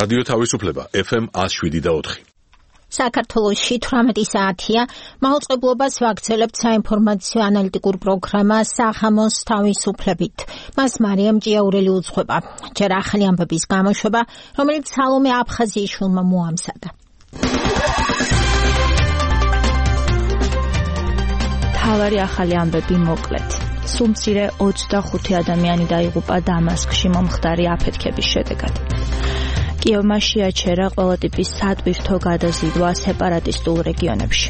რადიო თავისუფლება FM 107.4. საქართველოში 18 საათია. მაუწყებლობას ვაგრძელებთ საინფორმაციო ანალიტიკურ პროგრამა სახამოს თავისუფლებით. მას მარიამ ჭიაურელი უძღვება. ჯერ ახალი ამბების გამოშვება, რომელიც სალომე აფხაზიაშვილმა მოამზადა. თავარი ახალი ამბები მოკლედ. სულ მცირე 25 ადამიანი დაიღუპა დამასკში მომხდარი აფეთქების შედეგად. კიევმა შეაჩერა ყველა ტიპის სატვირთო გადაზიდვა სეპარატისტულ რეგიონებში.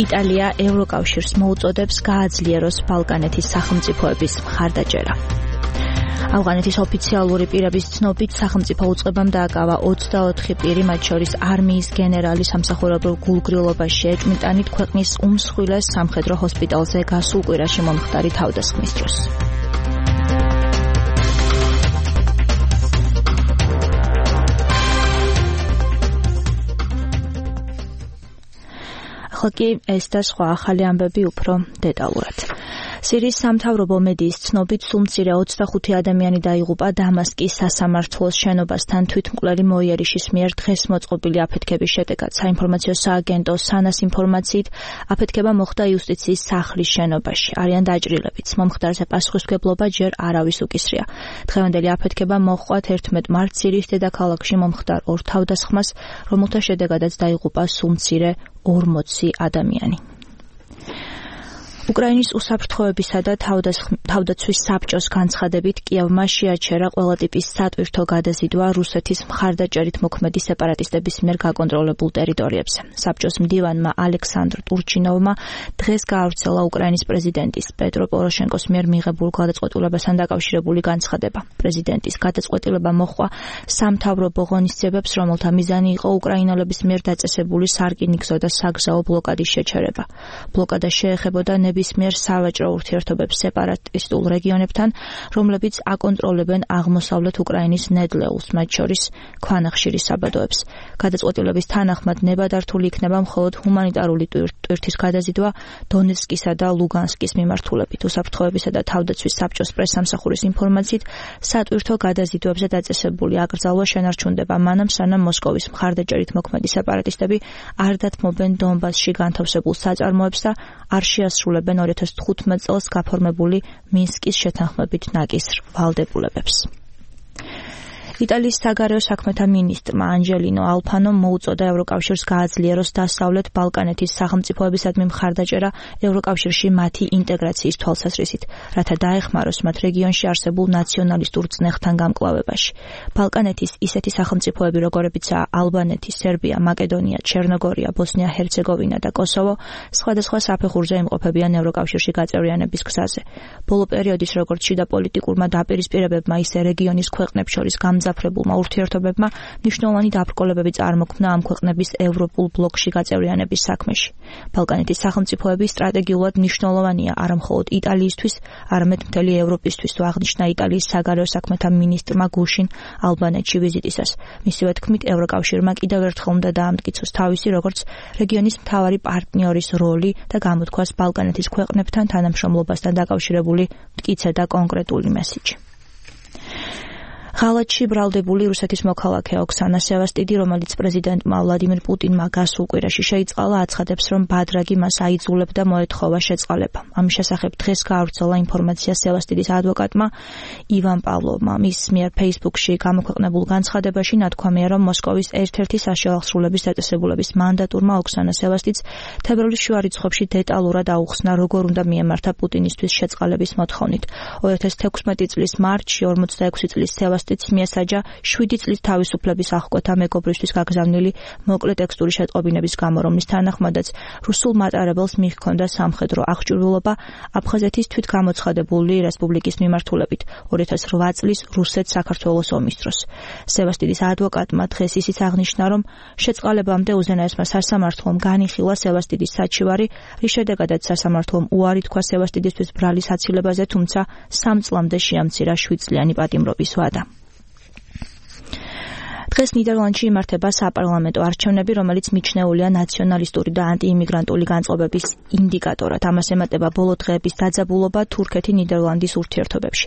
იტალია ევროკავშირს მოუწოდებს გააძლიეროს ბალკანეთის სახელმწიფოების მხარდაჭერა. ავღანეთის ოფიციალური პირების ცნობით სახელმწიფო უწყებამ დააკავა 24 პირი, მათ შორის არმიის გენერალი სამსახურებრივ გულგრილობაში ეჭვმიტანით ქვეყნის უმსხვილეს სამხედრო ჰოსპიტალზე გასულ კვირაში მომხდარი თავდასხმის დროს. ახლა კი ეს და სხვა ახალი ამბები უფრო დეტალურად. სირიის სამთავრობო მედიის ცნობით სულ მცირე 25 ადამიანი დაიღუპა დამასკის სასამართლოს შენობასთან თვითმკვლელი მოიერიშის მიერ დღეს მოწყობილი აფეთქების შედეგად. საინფორმაციო სააგენტო სანას ინფორმაციით, აფეთქება მოხდა იუსტიციის სახლის შენობაში. არიან დაჭრილებიც. მომხდარზე პასუხისმგებლობა ჯერ არავის უკისრია. დღევანდელი აფეთქება მოჰყვა 11 მარტს სირიის დედაქალაქში მომხდარ ორ თავდასხმას, რომელთა შედეგადაც დაიღუპა სულ მცირე 40 ადამიანი. უკრაინის უსაფრთხოებისა და თავდაცვის საბჭოს განცხადებით კიევმა შეაჩერა ყველა ტიპის სატვირთო გადაზიდვა რუსეთის მხარდაჭერით მოქმედი სეპარატისტების მიერ გაკონტროლებულ ტერიტორიებზე. საბჭოს მდივანმა ალექსანდრ ტურჩინოვმა დღეს გაავრცელა უკრაინის პრეზიდენტის პეტრო პოროშენკოს მიერ მიღებულ გადაწყვეტილებასთან დაკავშირებული განცხადება. პრეზიდენტის გადაწყვეტილება მოჰყვა სამთავრობო ღონისძიებებს, რომელთა მიზანი იყო უკრაინელების მიერ დაწესებული სარკინიგზო და საგზაო ბლოკადის შეჩერება. ბლოკადა შეეხებოდა ნებისმიერ სავაჭრო ურთიერთობებს სეპარატისტულ რეგიონებთან, რომლებიც აკონტროლებენ აღმოსავლეთ უკრაინის ნედლეულს, მათ შორის ქვანახშირის საბადოებს. გადაწყვეტილების თანახმად ნებადართული იქნება მხოლოდ ჰუმანიტარული ტვირთის გადაზიდვა დონეცკისა და ლუგანსკის მიმართულებით. უსაფრთხოებისა და თავდაცვის საბჭოს პრესსამსახურის ინფორმაციით, სატვირთო გადაზიდვებზე დაწესებული აკრძალვა შენარჩუნდება მანამ, სანამ მოსკოვის მხარდაჭერით მოქმედი სეპარატისტები არ დათმობენ დონბასში განთავსებულ საწარმოებს და არ შეასრულებენ 2015 წელს გაფორმებული მინსკის შეთანხმებით ნაკისრ ვალდებულებებს. იტალიის საგარეო საქმეთა მინისტრმა ანჯელინო ალფანომ მოუწოდა ევროკავშირს გააძლიეროს დასავლეთ ბალკანეთის სახელმწიფოებისადმი მხარდაჭერა ევროკავშირში მათი ინტეგრაციის თვალსაზრისით, რათა დაეხმაროს მათ რეგიონში არსებულ ნაციონალისტურ წნეხთან გამკლავებაში. ბალკანეთის ისეთი სახელმწიფოები, როგორებიცაა ალბანეთი, სერბია, მაკედონია, ჩერნოგორია, ბოსნია-ჰერცეგოვინა და კოსოვო, სხვადასხვა საფეხურზე იმყოფებიან ევროკავშირში გაწევრიანების გზაზე. ბოლო პერიოდის როგორც შიდა პოლიტიკურმა დაპირისპირებებმა, ისე რეგიონის ქვეყნებს შორის გამძაფრებულმა ურთიერთობებმა მნიშვნელოვანი დაბრკოლებები წარმოქმნა ამ ქვეყნების ევროპულ ბლოკში გაწევრიანების საქმეში. ბალკანეთის სახელმწიფოები სტრატეგიულად მნიშვნელოვანია არა მხოლოდ იტალიისთვის, არამედ მთელი ევროპისთვის, თუ აღნიშნა იტალიის საგარეო საქმეთა მინისტრმა გუშინ ალბანეთში ვიზიტისას. მისივე თქმით, ევროკავშირმა კიდევ ერთხელ უნდა დაამტკიცოს თავისი როგორც რეგიონის მთავარი პარტნიორის როლი და გამოთქვას ბალკანეთის ქვეყნებთან თანამშრომლობასთან დაკავშირებული მტკიცე და კონკრეტული მესიჯი. ღალატში ბრალდებული რუსეთის მოქალაქე ოქსანა სევასტიდი, რომელიც პრეზიდენტმა ვლადიმირ პუტინმა გასულ კვირაში შეიწყალა, აცხადებს, რომ ბადრაგი მას აიძულებდა მოეთხოვა შეწყალება. ამის შესახებ დღეს გაავრცელა ინფორმაცია სევასტიდის ადვოკატმა ივან პავლოვმა. მის მიერ ფეისბუქში გამოქვეყნებულ განცხადებაში ნათქვამია, რომ მოსკოვის ერთ-ერთი საშუალო აღსრულების დაწესებულების მანდატურმა ოქსანა სევასტიდს თებერვლის შუა რიცხვებში დეტალურად აუხსნა, როგორ უნდა მიემართა პუტინისთვის შეწყალების მოთხოვნით. 2016 წლის მარტში 46 წლის სევასტიდი მიესაჯა 7 წლის თავისუფლების აღკვეთა მეგობრისთვის გაგზავნილი მოკლე ტექსტური შეტყობინების გამო, რომლის თანახმადაც რუსულ მატარებელს მიჰქონდა სამხედრო აღჭურვილობა აფხაზეთის თვითგამოცხადებული რესპუბლიკის მიმართულებით 2008 წლის რუსეთ-საქართველოს ომის დროს. სევასტიდის ადვოკატმა დღეს ისიც აღნიშნა, რომ შეწყალებამდე უზენაესმა სასამართლომ განიხილა სევასტიდის საჩივარი, რის შედეგადაც სასამართლომ უარი თქვა სევასტიდისთვის ბრალის აცილებაზე, თუმცა 3 წლამდე შეამცირა 7 წლიანი პატიმრობის ვადა. დღეს ნიდერლანდში იმართება საპარლამენტო არჩევნები, რომელიც მიჩნეულია ნაციონალისტური და ანტიიმიგრანტული განწყობების ინდიკატორად. ამას ემატება ბოლო დღეების დაძაბულობა თურქეთი-ნიდერლანდის ურთიერთობებში.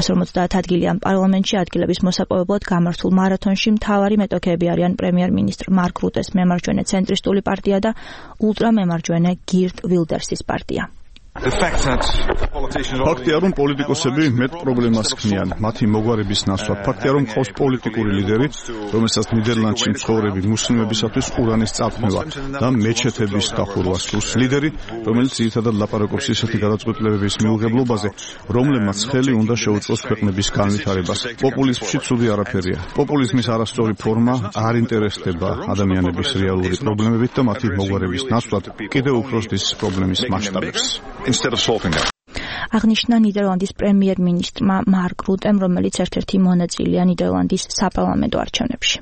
150 ადგილი ამ პარლამენტში ადგილების მოსაპოვებლად გამართულ მარათონში მთავარი მეტოქეები არიან პრემიერ-მინისტრ მარკ რუტეს მემარჯვენე ცენტრისტული პარტია და ულტრამემარჯვენე გირტ ვილდერსის პარტია. ფაქტია, რომ პოლიტიკოსები მეტ პრობლემას ქმნიან მათი მოგვარების ნაცვლად. ფაქტია, რომ ყავს პოლიტიკური ლიდერი, რომელსაც ნიდერლანდში მცხოვრები მუსლიმებისათვის ყურანის წარქმევა და მეჩეთების დახურვა სურს. ლიდერი, რომელიც ძირითადად ლაპარაკობს ისეთი გადაწყვეტილებების მიუღებლობაზე, რომლებმაც ხელი უნდა შეუწყოს ქვეყნების განვითარებას. პოპულიზმში ცუდი არაფერია. პოპულიზმის არასწორი ფორმა არ ინტერესდება ადამიანების რეალური პრობლემებით და მათი მოგვარების ნაცვლად კიდევ უფრო ზრდის პრობლემის მასშტაბებს. აღნიშნა ნიდერლანდის პრემიერ-მინისტრმა მარკ რუტემ, რომელიც ერთ-ერთი მონაწილეა ნიდერლანდის საპარლამენტო არჩევნებში.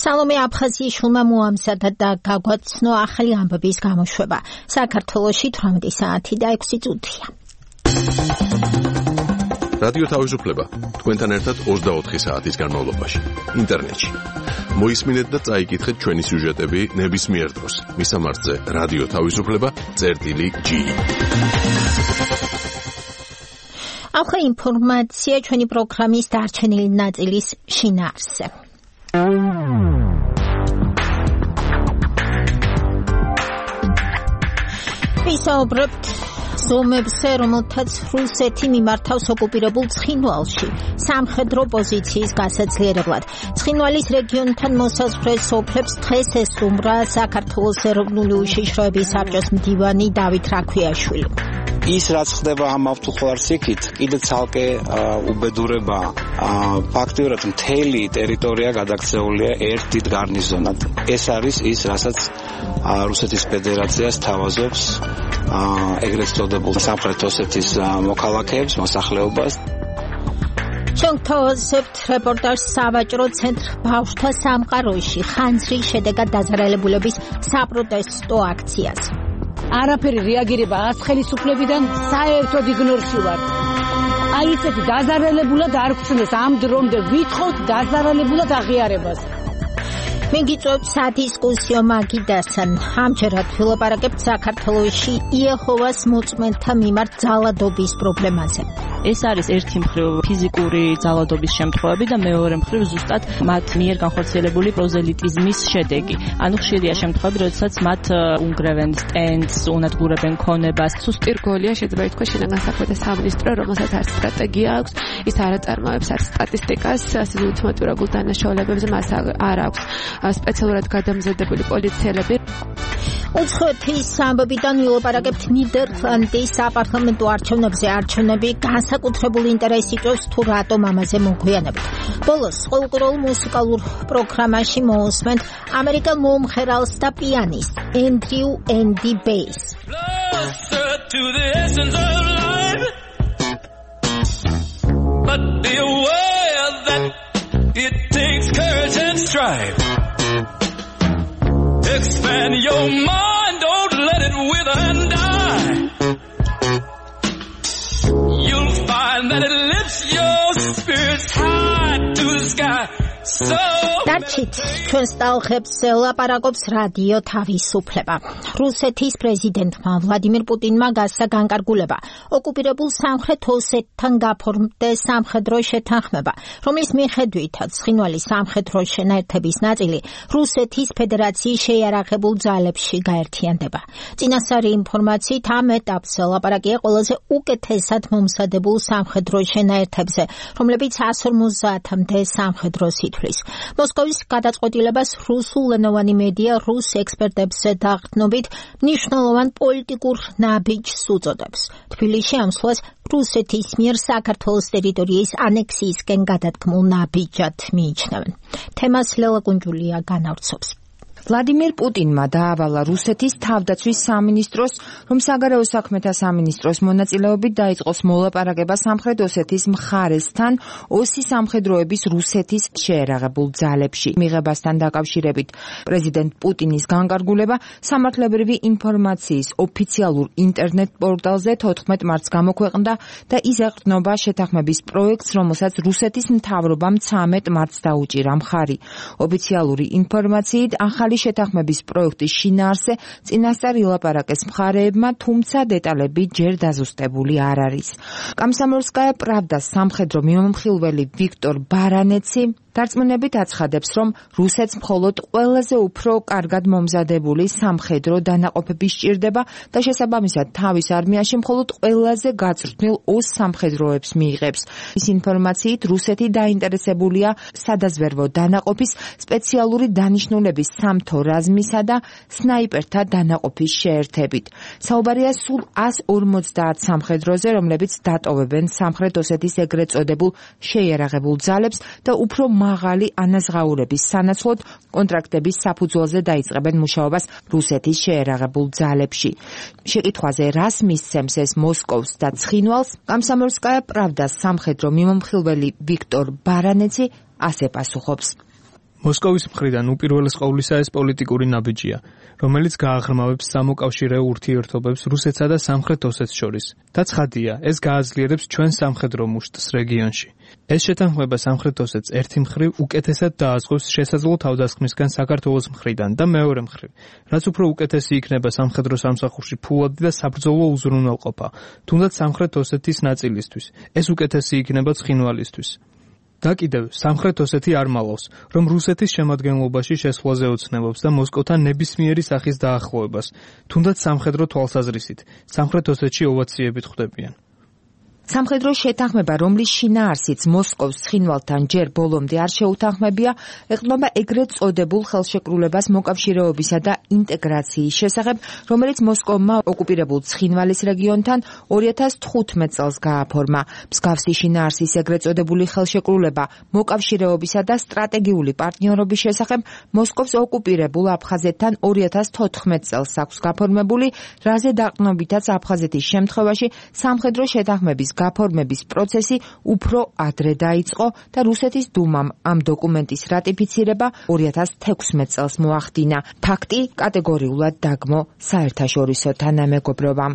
სალომე აფხაზიაშვილმა მოამზადა და გაგვაცნო ახალი ამბების გამოშვება. საქართველოში 18 საათი და 6 წუთია. რადიო თავისუფლება თქვენთან ერთად 24 საათის განმავლობაში ინტერნეტში. მოისმინეთ და წაიკითხეთ ჩვენი სიუჟეტები ნებისმიერ დროს. მისამართზე რადიო თავისუფლება.gi. ახლა ინფორმაცია ჩვენი პროგრამის დარჩენილი ნაწილის შინაარსზე. ვისაუბრებთ ზომებზე, რომელთაც რუსეთი მიმართავს ოკუპირებულ ცხინვალში სამხედრო პოზიციის გასაძლიერებლად. ცხინვალის რეგიონთან მოსაზღვრე სოფლებს დღეს ესტუმრა საქართველოს ეროვნული უშიშროების საბჭოს მდივანი დავით რაქვიაშვილი. ის რაც ხდება ამ ავტოხლარს იქით, კიდე ცალკე უბედურებაა. ფაქტიურად მთელი ტერიტორია გადაქცეულია ერთ დიდ გარნიზონად. ეს არის ის, რასაც რუსეთის ფედერაციას თავაზობს ეგრეთ წოდებულ სამხრეთ ოსეთის მოქალაქეებს, მოსახლეობას. ჩვენ გთავაზებთ რეპორტაჟს სავაჭრო ცენტრ ბავშვთა სამყაროში ხანძრის შედეგად დაზარალებულების საპროტესტო აქციას. არაფერი რეაგირება არც ხელისუფლებიდან საერთოდ იგნორში ვარ. აი ესეთი დაზარალებულად არ გწნეს ამ დრომდე ვითხოვთ დაზარალებულად აღიარებას. მიგიწევთ სადისკუსიო მაგიდასთან. ამჯერად ვილაპარაკებთ საქართველოში იეჰოვას მოწმენთა მიმართ ძალადობის პრობლემაზე. ეს არის ერთი მხრივ ფიზიკური ძალადობის შემთხვევები და მეორე მხრივ ზუსტად მათ მიერ განხორციელებული პროზელიტიზმის შედეგი. ანუ ხშირია შემთხვევები, როდესაც მათ უნგრევენ სტენდს, უნადგურებენ ქონებას. სუსტი რგოლია, შეიძლება ითქვას, შინაგანსაქმეთა სამინისტრო, რომელსაც არც სტრატეგია აქვს, ის არ აწარმოებს არც სტატისტიკას, ასე ულტიმატურებულ დანაშაულებებზე მას არ აქვს სპეციალურად გადამზადებული პოლიციელები. უცხოეთის ამბებიდან ვილაპარაკებთ ნიდერლანდის საპარლამენტო არჩევნებზე. არჩევნები განსაკუთრებული ინტერესი იწვევს თუ რატომ ამაზე მოგვიანებით. ბოლოს ყოველდღიურ მუსიკალურ პროგრამაში მოусმენთ ამერიკელ მომღერალს და პიანისტ ენდრიუ ენდი ბეის. But be aware that it takes courage and strife. Expand your mind, don't let it wither and die. You'll find that it lifts your spirits high to the sky. დარჩით ჩვენს ტალღებს ლაპარაკობს რადიო თავისუფლება. რუსეთის პრეზიდენტმა ვლადიმირ პუტინმა გასცა განკარგულება ოკუპირებულ სამხრეთ ოსეთთან გაფორმდეს სამხედრო შეთანხმება, რომლის მიხედვითაც ცხინვალის სამხედრო შენაერთების ნაწილი რუსეთის ფედერაციის შეიარაღებულ ძალებში გაერთიანდება. წინასწარი ინფორმაციით ამ ეტაპზე ლაპარაკია ყველაზე უკეთესად მომზადებულ სამხედრო შენაერთებზე, რომლებიც 150-მდე სამხედრო სითვლის. მოსკოვის გადაწყვეტილებას რუსულენოვანი მედია რუს ექსპერტებზე დაღდნობით მნიშვნელოვან პოლიტიკურ ნაბიჯს უწოდებს. თბილისში ამ სვლას რუსეთის მიერ საქართველოს ტერიტორიის ანექსიისკენ გადადგმულ ნაბიჯად მიიჩნევენ. თემას ლელა კუნჯულია განავრცობს. ვლადიმირ პუტინმა დაავალა რუსეთის თავდაცვის სამინისტროს, რომ საგარეო საქმეთა სამინისტროს მონაწილეობით დაიწყოს მოლაპარაკება სამხრეთ ოსეთის მხარესთან ოსის სამხედროების რუსეთის შეერაღებულ ძალებში. მიღებასთან დაკავშირებით პრეზიდენტ პუტინის განკარგულება სამართლებრივი ინფორმაციის ოფიციალურ ინტერნეტ პორტალზე 14 მარტს გამოქვეყნდა და ის ეყრდნობა შეთანხმების პროექტს, რომელსაც რუსეთის მთავრობამ 13 მარტს დაუჭირა მხარი. ოფიციალური ინფორმაციით ახალი შეთანხმების პროექტის შინაარსზე წინასწარ ილაპარაკეს მხარეებმა, თუმცა დეტალები ჯერ დაზუსტებული არ არის. კომსომოლსკაია პრავდას სამხედრო მიმომხილველი ვიქტორ ბარანეცი დარწმუნებით აცხადებს, რომ რუსეთს მხოლოდ ყველაზე უფრო კარგად მომზადებული სამხედრო დანაყოფები სჭირდება და შესაბამისად თავის არმიაში მხოლოდ ყველაზე გაწვრთნილ ოს სამხედროებს მიიღებს. ის ინფორმაციით რუსეთი დაინტერესებულია სადაზვერვო დანაყოფის, სპეციალური დანიშნულების სამთო რაზმისა და სნაიპერთა დანაყოფის შეერთებით. საუბარია სულ 150 სამხედროზე, რომლებიც დატოვებენ სამხრეთ ოსეთის ეგრეთ წოდებულ შეიარაღებულ ძალებს და უფრო მაღალი ანაზღაურების სანაცვლოდ კონტრაქტების საფუძველზე დაიწყებენ მუშაობას რუსეთის შეერაღებულ ძალებში. შეკითხვაზე რას მისცემს ეს მოსკოვს და ცხინვალს, კომსომოლსკაია პრავდას სამხედრო მიმომხილველი ვიქტორ ბარანეცი ასე პასუხობს. მოსკოვის მხრიდან უპირველეს ყოვლისა ეს პოლიტიკური ნაბიჯია, რომელიც გააღრმავებს სამოკავშირეო ურთიერთობებს რუსეთსა და სამხრეთ ოსეთს შორის. და ცხადია, ეს გააძლიერებს ჩვენ სამხედრო მუშტს რეგიონში. ეს შეთანხმება სამხრეთ ოსეთს ერთი მხრივ უკეთესად დააზღვევს შესაძლო თავდასხმისგან საქართველოს მხრიდან და მეორე მხრივ, რაც უფრო უკეთესი იქნება სამხედრო სამსახურში ფულადი და საბრძოლო უზრუნველყოფა, თუნდაც სამხრეთ ოსეთის ნაწილისთვის. ეს უკეთესი იქნება ცხინვალისთვის. და კიდევ სამხრეთ ოსეთი არ მალავს, რომ რუსეთის შემადგენლობაში შესვლაზე ოცნებობს და მოსკოვთან ნებისმიერი სახის დაახლოებას, თუნდაც სამხედრო თვალსაზრისით, სამხრეთ ოსეთში ოვაციებით ხვდებიან. სამხედრო შეთანხმება, რომლის შინაარსიც მოსკოვს ცხინვალთან ჯერ ბოლომდე არ შეუთანხმებია, ეყრდნობა ეგრეთ წოდებულ ხელშეკრულებას მოკავშირეობისა და ინტეგრაციის შესახებ, რომელიც მოსკოვმა ოკუპირებულ ცხინვალის რეგიონთან 2015 წელს გააფორმა. მსგავსი შინაარსის ეგრეთ წოდებული ხელშეკრულება მოკავშირეობისა და სტრატეგიული პარტნიორობის შესახებ მოსკოვს ოკუპირებულ აფხაზეთთან 2014 წელს აქვს გაფორმებული, რაზე დაყრდნობითაც აფხაზეთის შემთხვევაში სამხედრო შეთანხმების გაფორმების პროცესი უფრო ადრე დაიწყო და რუსეთის დუმამ ამ დოკუმენტის რატიფიცირება 2016 წელს მოახდინა. ფაქტი კატეგორიულად დაგმო საერთაშორისო თანამეგობრობამ.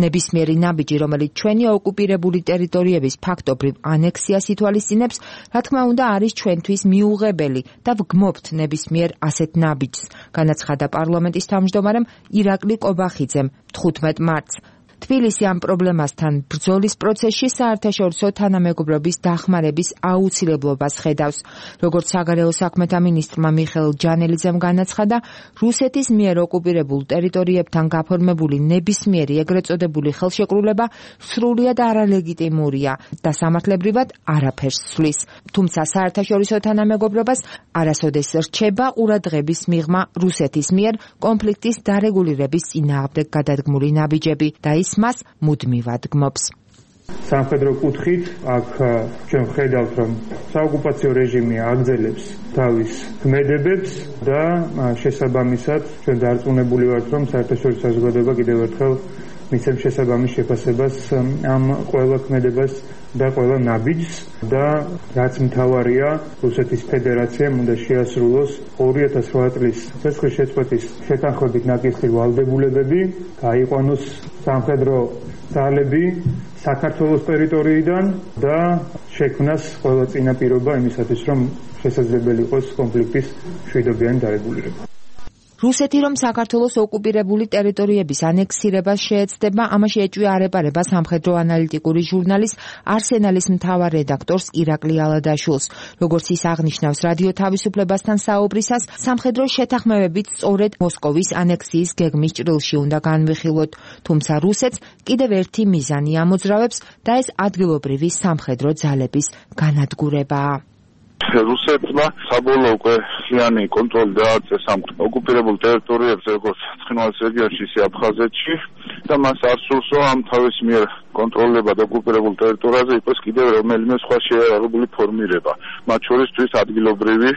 ნებისმიერი ნაბიჯი, რომელიც ჩვენი ოკუპირებული ტერიტორიების ფაქტობრივ ანექსიას ითვალისწინებს, რა თქმა უნდა არის ჩვენთვის მიუღებელი და ვგმობთ ნებისმიერ ასეთ ნაბიჯს, განაცხადა პარლამენტის თავმჯდომარემ ირაკლი კობახიძემ 15 მარტს. თბილისი ამ პრობლემასთან ბრძოლის პროცესში საერთაშორისო თანამეგობრობის დახმარების აუცილებლობას ხედავს. როგორც საგარეო საქმეთა მინისტრმა მიხეილ ჯანელიძემ განაცხადა, რუსეთის მიერ ოკუპირებულ ტერიტორიებთან გაფორმებული ნებისმიერი ეგრეთ წოდებული ხელშეკრულება სრულიად არალეგიტიმურია და სამართლებრივად არაფერს ცვლის. თუმცა საერთაშორისო თანამეგობრობას არასოდეს რჩება ყურადღების მიღმა რუსეთის მიერ კონფლიქტის დარეგულირების წინააღმდეგ გადადგმული ნაბიჯები და ის მას მუდმივად გმობს. სამხედრო კუთხით აქ ჩვენ ვხედავთ, რომ საოკუპაციო რეჟიმი აგრძელებს თავის ქმედებებს და შესაბამისად ჩვენ დარწმუნებული ვართ, რომ საერთაშორისო საზოგადოება კიდევ ერთხელ მისცემს შესაბამის შეფასებას ამ ყველა ქმედებას და ყველა ნაბიჯს და რაც მთავარია, რუსეთის ფედერაციამ უნდა შეასრულოს 2008 წლის ცეცხლის შეწყვეტის შეთანხმებით ნაკისრი ვალდებულებები, გაიყვანოს სამხედრო ძალები საქართველოს ტერიტორიიდან და შექმნას ყველა წინაპირობა იმისათვის, რომ შესაძლებელი იყოს კონფლიქტის მშვიდობიანი დარეგულირება. რუსეთი რომ საქართველოს ოკუპირებული ტერიტორიების ანექსირებას შეეცდება, ამაში ეჭვი არ ეპარება სამხედრო ანალიტიკური ჟურნალის არსენალის მთავარ რედაქტორს ირაკლი ალადაშვილს. როგორც ის აღნიშნავს რადიო თავისუფლებასთან საუბრისას, სამხედრო შეთანხმებებით სწორედ მოსკოვის ანექსიის გეგმის ჭრილში უნდა განვიხილოთ, თუმცა რუსეთს კიდევ ერთი მიზანი ამოძრავებს და ეს ადგილობრივი სამხედრო ძალების განადგურებაა. რუსეთმა საბოლოო უკვე ხლიანი კონტროლი დააწეს ამ ოკუპირებულ ტერიტორიებზე, როგორც ცხინვალის რეგიონში, ისე აფხაზეთში და მას არ სურსო ამ თავის მიერ კონტროლება და ოკუპირებულ ტერიტორიაზე იყოს კიდევ რომელიმე სხვა შეიარაღებული ფორმირება, მათ შორის თვით ადგილობრივი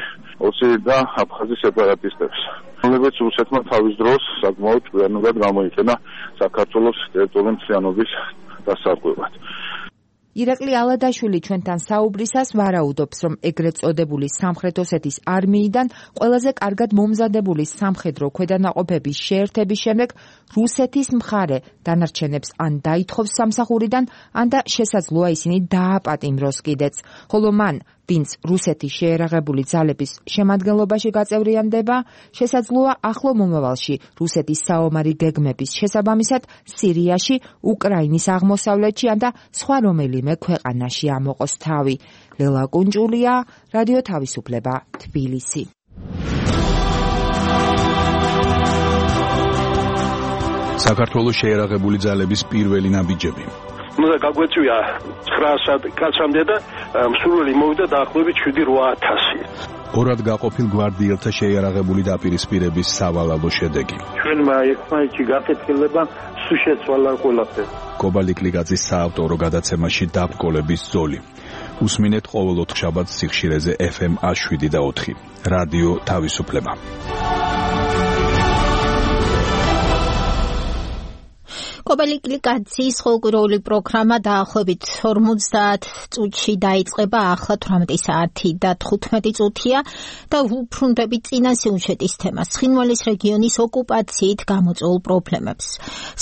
ოსი და აფხაზის სეპარატისტებს. რომლებიც რუსეთმა თავის დროს საკმაოდ ჭკვიანურად გამოიყენა საქართველოს ტერიტორიული მთლიანობის დასარღვევად. ირაკლი ალადაშვილი ჩვენთან საუბრისას ვარაუდობს, რომ ეგრეთ წოდებული სამხრეთ ოსეთის არმიიდან ყველაზე კარგად მომზადებული სამხედრო ქვედანაყოფების შეერთების შემდეგ რუსეთის მხარე დანარჩენებს ან დაითხოვს სამსახურიდან, ან და შესაძლოა ისინი დააპატიმროს კიდეც, ხოლო მან, ვინც რუსეთის შეერაღებული ძალების შემადგენლობაში გაწევრიანდება, შესაძლოა ახლო მომავალში რუსეთის საომარი გეგმების შესაბამისად სირიაში, უკრაინის აღმოსავლეთში ან და სხვა რომელიმე ქვეყანაში ამოყოს თავი. ლელა კუნჭულია, რადიო თავისუფლება, თბილისი. საქართველოს შეერაღებული ძალების პირველი ნაბიჯები. გაგვეწვია 900 კაცამდე და მსურველი მოვიდა დაახლოებით 7-8000. ორად გაყოფილ გვარდიელთა შეიარაღებული დაპირისპირების სავალალო შედეგი. ჩვენმა ერთმანეთში გაკეთილება სულ შეცვალა ყველაფერი. კობალიკლიძის საავტორო გადაცემაში დაბრკოლების ზოლი. უსმინეთ ყოველ 4 შაბათს სიხშირეზე FM 7 და 4. რადიო თავისუფლება. კობალიკლიძის ხოლმე პროგრამა დაახლოებით 50 წუთში დაიწყება, ახლა 18 საათი და 15 წუთია და ვუბრუნდებით წინა სიუჟეტის თემას. ცხინვალის რეგიონის ოკუპაციით გამოწვეულ პრობლემებს.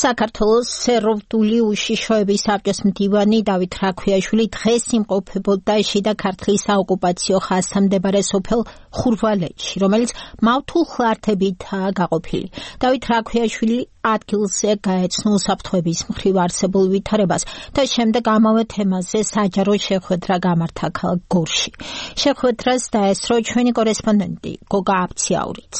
საქართველოს სეროვდული უშიშროების საბჭოს მდივანი დავით რაქვიაშვილი დღეს იმყოფებოდა შიდა ქართლის საოკუპაციო ხაზთან მდებარე სოფელ ხურვალეთში, რომელიც მავთულ ხლართებითაა გაყოფილი. დავით რაქვიაშვილი ადგილზე გაეცნო უსაფრთხოების მხრივ არსებულ ვითარებას და შემდეგ ამავე თემაზე საჯარო შეხვედრა გამართა ქალაქ გორში. შეხვედრას დაესწრო ჩვენი კორესპონდენტი გოგა აბციაურიც.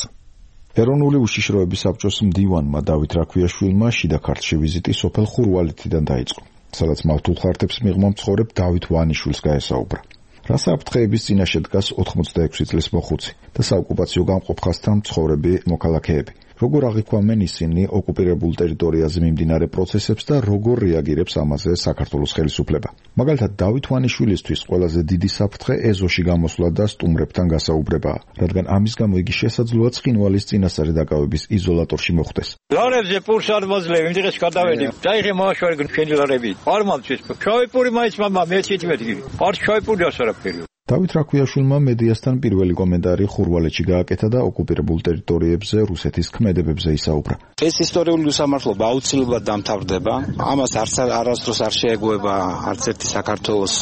ეროვნული უშიშროების საბჭოს მდივანმა დავით რაქვიაშვილმა შიდა ქართლში ვიზიტი სოფელ ხურვალეთიდან დაიწყო, სადაც მავთულ ხლართებს მიღმა მცხოვრებ დავით ვანიშვილს გაესაუბრა. რა საფრთხეების წინაშე დგას 86 წლის მოხუცი და საოკუპაციო გამყოფ ხაზთან მცხოვრები მოქალაქეები. როგორ აღიქვამენ ისინი ოკუპირებულ ტერიტორიაზე მიმდინარე პროცესებს და როგორ რეაგირებს ამაზე საქართველოს ხელისუფლება. მაგალითად, დავით ვანიშვილისთვის ყველაზე დიდი საფრთხე ეზოში გამოსვლა და სტუმრებთან გასაუბრებაა, რადგან ამის გამო იგი შესაძლოა ცხინვალის წინასწარი დაკავების იზოლატორში მოხვდეს. ლარებზე პურს არ მოძლევ, იმდღეს გადავედი. დაიღე მოაშვარი ჩვენი ლარები. არ მომწვის. შავი პური მაინც მამა მე 17 არ შავი პური ასარაფერი. დავით რაქვიაშვილმა მედიასთან პირველი კომენტარი ხურვალეთში გააკეთა და ოკუპირებულ ტერიტორიებზე რუსეთის ქმედებებზე ისაუბრა. ეს ისტორიული უსამართლობა აუცილებლად დამთავრდება. ამას არასდროს არ შეეგუება არც ერთი საქართველოს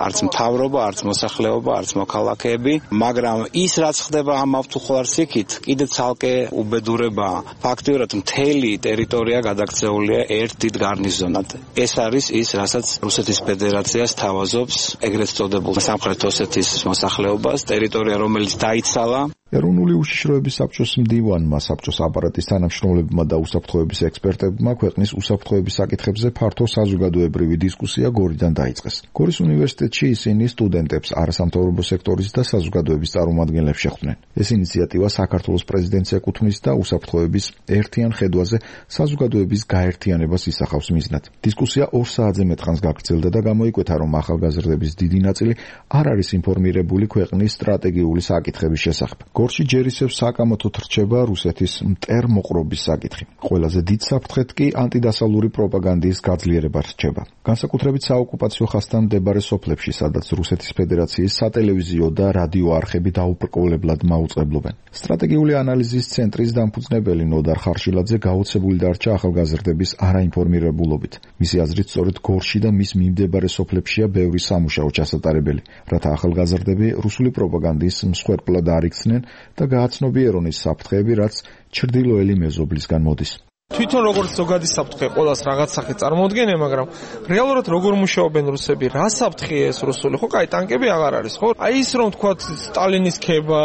არც მთავრობა, არც მოსახლეობა, არც მოქალაქეები, მაგრამ ის რაც ხდება ამ მავთულ ხლარსიქით, კიდე ცალკე უბედურებაა. ფაქტიურად მთელი ტერიტორია გადაქცეულია ერთ დიდ გარნიზონად. ეს არის ის, რასაც რუსეთის ფედერაციას თავაზობს ეგრეთ წოდებულ სამხრეთ ოსეთის მოსახლეობას, ტერიტორია რომელიც დაიცალა. ეროვნული უშიშროების საბჭოს მდივანმა, საბჭოს აპარატის თანამშრომლებმა და უსაფრთხოების ექსპერტებმა ქვეყნის უსაფრთხოების საკითხებზე ფართო საზოგადოებრივი დისკუსია გორიდან დაიწყეს. გორის უნივერსიტეტში ისინი სტუდენტებს, არასამთავრობო სექტორის და საზოგადოების წარმომადგენლებს შეხვდნენ. ეს ინიციატივა საქართველოს პრეზიდენტს ეკუთვნის და უსაფრთხოების ერთიან ხედვაზე საზოგადოების გაერთიანებას ისახავს მიზნად. დისკუსია 2 საათზე მეტხანს გაგრძელდა და გამოიკვეთა, რომ ახალგაზრდების დიდი ნაწილი არ არის ინფორმირებული ქვეყნის სტრატეგიული საკითხების შესახებ. გორში ჯერ ისევ საკამათოდ რჩება რუსეთის მტერმოყრობის საკითხი. ყველაზე დიდ საფრთხედ კი ანტიდასავლური პროპაგანდის გაძლიერება რჩება. განსაკუთრებით საოკუპაციო ხაზთან მდებარე სოფლებში, სადაც რუსეთის ფედერაციის სატელევიზიო და რადიო არხები დაუბრკოლებლად მაუწყებლობენ. სტრატეგიული ანალიზის ცენტრის დამფუძნებელი ნოდარ ხარშილაძე გაოცებული დარჩა ახალგაზრდების არაინფორმირებულობით. მისი აზრით, სწორედ გორში და მის მიმდებარე სოფლებშია ბევრი სამუშაო ჩასატარებელი, რათა ახალგაზრდები რუსული პროპაგანდის მსხვერპლად არ იქცნენ და გააცნობიერონ ის საფრთხეები, რაც ჩრდილოელი მეზობლისგან მოდის. თვითონ როგორც ზოგადი საფრთხე ყოველას რაღაც სახით წარმოუდგენია, მაგრამ რეალურად როგორ მუშაობენ რუსები, რა საფრთხეა ეს რუსული? ხო, კაი, ტანკები აღარ არის, ხო? აი ის რომ თქვა სტალინის ქება,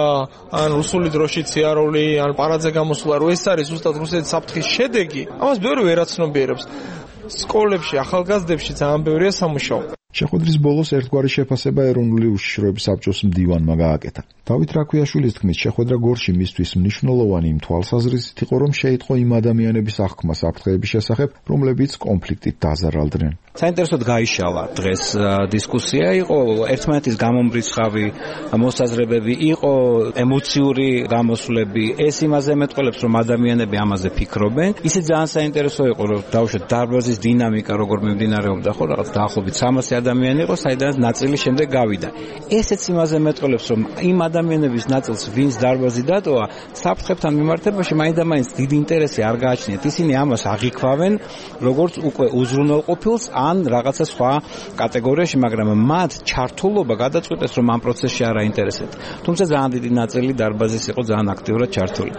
ან რუსული დროშის ციარული, ან პარადზე გამოსვლა, რომ ეს არის ზუსტად რუსეთის საფრთხის შედეგი, ამას ბევრი ვერ აცნობიერებს. სკოლებში, ახალგაზრდებში ძალიან ბევრია სამუშაო. შეხვედრის ბოლოს ერთგვარი შეფასება ეროვნული უშიშროების საბჭოს მდივანმა გააკეთა. დავით რაქვიაშვილის თქმით, შეხვედრა გორში მისთვის მნიშვნელოვანი იმ თვალსაზრისით იყო, რომ შეიტყო იმ ადამიანების აღქმა საფრთხეების შესახებ, რომლებიც კონფლიქტით დაზარალდნენ. საინტერესოდ გაიშალა დღეს დისკუსია, იყო ერთმანეთის გამომრიცხავი მოსაზრებები, იყო ემოციური გამოსვლები, ეს იმაზე მეტყველებს, რომ ადამიანები ამაზე ფიქრობენ. ისიც ძალიან საინტერესო იყო, რომ დავუშვათ დარბაზის დინამიკა როგორ მიმდინარეობდა, ხო, რაღაც დაახლოებით 300 ადამიანი იყო, საიდანაც ნაწილი შემდეგ გავიდა. ესეც იმაზე მეტყველებს, რომ იმ ადამიანების ნაწილს, ვინც დარბაზი დატოვა, საფრთხებთან მიმართებაში მაინდამაინც დიდი ინტერესი არ გააჩნიათ. ისინი ამას აღიქვავენ, როგორც უკვე უზრუნველყოფილს ან რაღაცა სხვა კატეგორიაში, მაგრამ მათ ჩართულობა გადაწყვეტეს, რომ ამ პროცესში არ აინტერესებთ. თუმცა ძალიან დიდი ნაწილი დარბაზის იყო ძალიან აქტიურად ჩართული.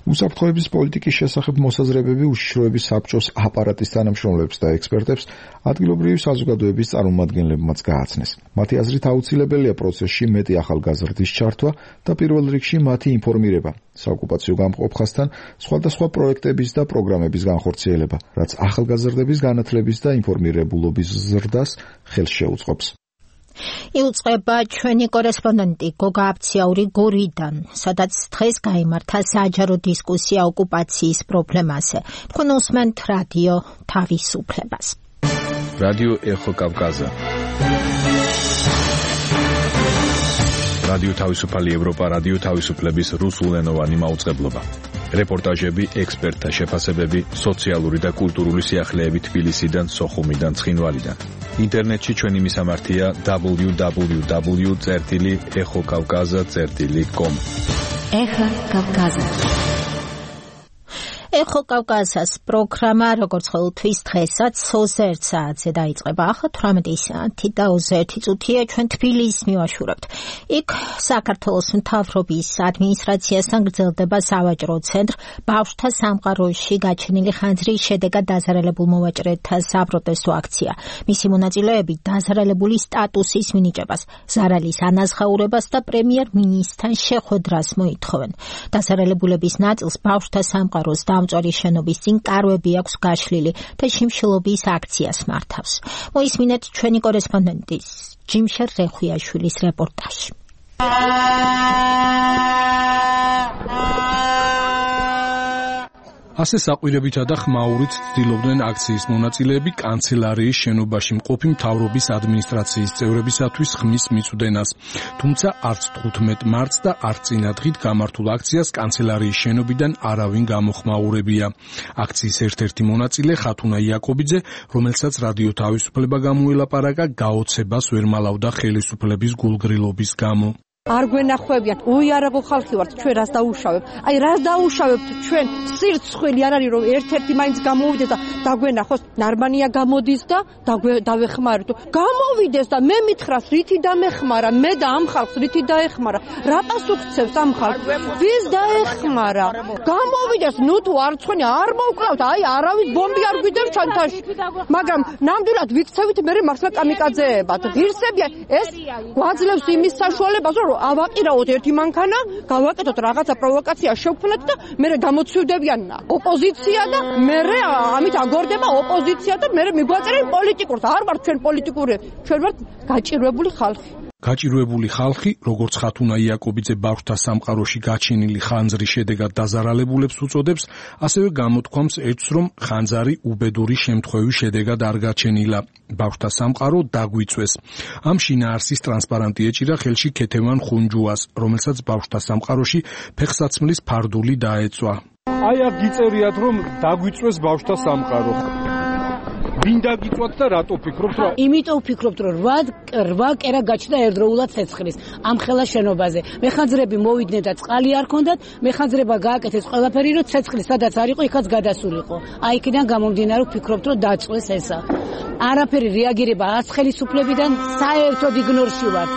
უსაფრთხოების პოლიტიკის შესახებ მოსაზრებები უშიშროების საბჭოს აპარატის თანამშრომლებს და ექსპერტებს ადგილობრივი საზოგადოების წარმომადგენლებმაც გააცნეს. მათი აზრით აუცილებელია პროცესში მეტი ახალგაზრდის ჩართვა და პირველ რიგში მათი ინფორმირება, საოკუპაციო გამყოფ ხაზთან სხვადასხვა პროექტების და პროგრამების განხორციელება, რაც ახალგაზრდების განათლების და ინფორმირებულობის ზრდას ხელს შეუწყობს. იუწყება ჩვენი კორესპონდენტი გოგა აფციაური გორიდან, სადაც დღეს გაიმართა საჯარო დისკუსია ოკუპაციის პრობლემაზე. თქვენ უსმენთ რადიო თავისუფლებას. რადიო ეხო კავკაზა. რადიო თავისუფალი ევროპა, რადიო თავისუფლების რუსულენოვანი მაუწყებლობა. რეპორტაჟები, ექსპერტთა შეფასებები, სოციალური და კულტურული სიახლეები თბილისიდან, სოხუმიდან, ცხინვალიდან. ინტერნეტში ჩვენი მისამართია www.exokavkaza.com. ეხა კავკაზა. ეხო კავკაზას პროგრამა როგორც ყოველთვის დღესაც 21 საათზე დაიწყება. ახლა 18 საათი და 21 წუთია ჩვენ თბილისს მივაშურებთ. იქ საქართველოს მთავრობის ადმინისტრაციასთან გრძელდება სავაჭრო ცენტრ ბავშვთა სამყაროში გაჩენილი ხანძრის შედეგად დაზარალებულ მოვაჭრეთა საპროტესტო აქცია. მისი მონაწილეები დაზარალებული სტატუსის მინიჭებას, ზარალის ანაზღაურებას და პრემიერ-მინისტრთან შეხვედრას მოითხოვენ. დაზარალებულების ნაწილს ბავშვთა სამყაროს მწვარი შენობის წინ კარვები აქვს გაშლილი და შიმშილობის აქციას მართავს. მოისმინეთ ჩვენი კორესპონდენტის ჯიმშერ რეხვიაშვილის რეპორტაჟი. ასე საყვირებითა და ხმაურით ცდილობდნენ აქციის მონაწილეები კანცელარიის შენობაში მყოფი მთავრობის ადმინისტრაციის წევრებისათვის ხმის მიწვდენას. თუმცა არც 15 მარტს და არც წინადღით გამართულ აქციას კანცელარიის შენობიდან არავინ გამოხმაურებია. აქციის ერთ-ერთი მონაწილე ხათუნა იაკობიძე, რომელსაც რადიო თავისუფლება გამოელაპარაკა, გაოცებას ვერ მალავდა ხელისუფლების გულგრილობის გამო. არ გვენახვევიათ, უიარაღო ხალხი ვართ, ჩვენ რას დაუშავებთ? აი რას დაუშავებთ ჩვენ? სირცხვილი არ არის რომ ერთ-ერთი მაინც გამოვიდეს და დაგვენახოს, ნარმანია გამოდის და დავეხმაროთ. გამოვიდეს და მე მითხრას, რითი დამეხმარა, მე და ამ ხალხს რითი დაეხმარა? რა პასუხცევს ამ ხალხს? ვის დაეხმარა? გამოვიდეს, ნუ თუ არ ცხენი, არ მოვკლავთ, აი არავის ბომბი არ გვიდევს ჩანთაში. მაგრამ ნამდვილად ვიქცევით მე მართლა კამიკაძეებად. ღირსებია, ეს გვაძლევს იმის საშუალებას, რომ ავაყირაოთ ერთი მანქანა, გავაკეთოთ რაღაცა პროვოკაცია, შევქმნათ და მე გამოცივდებიან ოპოზიცია და მე ამით აგორდება ოპოზიცია და მე მიგვაწერენ პოლიტიკურს. არ ვართ ჩვენ პოლიტიკური, ჩვენ ვართ გაჭირვებული ხალხი. გაჭირვებული ხალხი, როგორც ხათუნა იაკობიძე ბავშვთა სამყაროში გაჩენილი ხანძრის შედეგად დაზარალებულებს უწოდებს, ასევე გამოთქვამს ერთს, რომ ხანძარი უბედური შემთხვევის შედეგად არ გაჩენილა. ბავშვთა სამყარო დაგვიწვეს. ამ შინაარსის ტრანსპარანტი ეჭირა ხელში ქეთევან ხუნჯუას, რომელსაც ბავშვთა სამყაროში ფეხსაცმლის ფარდული დაეწვა. აი აქ გიწერიათ, რომ დაგვიწვეს ბავშვთა სამყარო. ვინ დაგიწვათ და რატო ფიქრობთ რა? იმიტომ ვფიქრობთ, რომ 8 კერა გაჩნდა ერთდროულად ცეცხლის ამ ხელა შენობაზე. მეხანძრები მოვიდნენ და წყალი არ ქონდათ, მეხანძრება გააკეთეს ყველაფერი, რომ ცეცხლი სადაც არ იყო, იქაც გადასულიყო. აი იქიდან გამომდინარე ვფიქრობთ, რომ დაწვეს ესა. არაფერი რეაგირება ას ხელისუფლებიდან, საერთოდ იგნორში ვართ.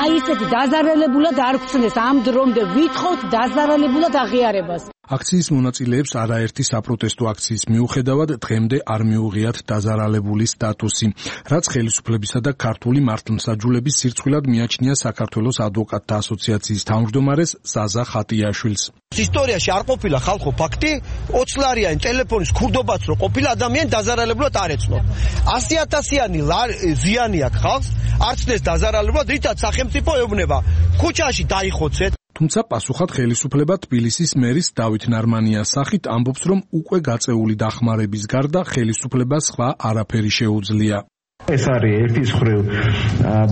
აი ესეთი დაზარალებულად არ გწნეს ამ დრომდე ვითხოვთ დაზარალებულად აღიარებას. აქციის მონაწილეებს არაერთი საპროტესტო აქციის მიუხედავად დღემდე არ მიუღიათ დაზარალებული სტატუსი, რაც ხელისუფლებისა და ქართული მართლმსაჯულების სირცხვილად მიაჩნია საქართველოს ადვოკატთა ასოციაციის თავმჯდომარეს ზაზა ხატიაშვილს. ისტორიაში არ ყოფილა ხალხო ფაქტი, 20 ლარიანი ტელეფონის ქურდობაც რო ყოფილა ადამიანი დაზარალებულად არ ეცნოთ. 100,000-იანი ზიანი აქვს ხალხს, არ ცნეს დაზარალებულად, რითაც სახელმწიფო ეუბნება. ქუჩაში დაიხოცეთ. თუმცა პასუხად ხელისუფლება თბილისის მერის დავით ნარმანიას სახით ამბობს, რომ უკვე გაწეული დახმარების გარდა ხელისუფლებას სხვა არაფერი შეუძლია. ეს არის ერთის მხრივ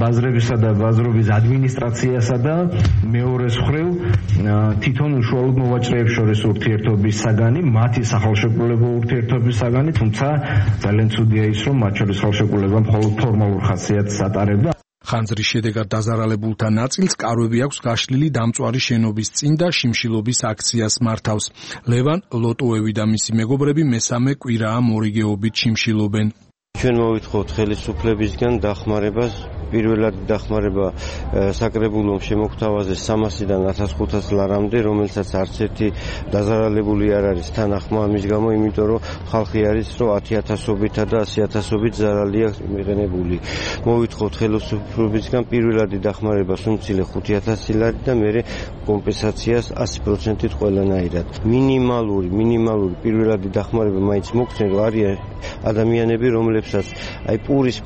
ბაზრებისა და ბაზრობის ადმინისტრაციასა და მეორეს მხრივ თვითონ უშუალოდ მოვაჭრეებს შორის ურთიერთობის საგანი, მათი სახელშეკრულებო ურთიერთობის საგანი, თუმცა ძალიან ცუდია ის, რომ მათ შორის ხელშეკრულება მხოლოდ ფორმალურ ხასიათს ატარებდა. ხანძრის შედეგად დაზარალებულთა ნაწილს კარვები აქვს გაშლილი დამწვარი შენობის წინ და შიმშილობის აქციას მართავს. ლევან ლოტოევი და მისი მეგობრები მესამე კვირაა მორიგეობით შიმშილობენ. ჩვენ მოვითხოვთ ხელისუფლებისგან დახმარებას. პირველად დახმარება საკრებულომ შემოგთავაზეს 300-დან 1500 ლარამდე, რომელსაც არც ერთი დაზარალებული არ არის თანახმა ამის გამო, იმიტომ რომ ხალხი არის, რომ 10,000-ობითა და 100,000-ობით ზარალი აქვს მიღებული. მოვითხოვთ ხელისუფლებისგან პირველადი დახმარებას უმცირე 5,000 ლარი და მერე კომპენსაციას 100%-ით ყველანაირად. მინიმალური პირველადი დახმარება მაინც მოგცენ, რომ არიან ადამიანები, რომლებსაც აი პურის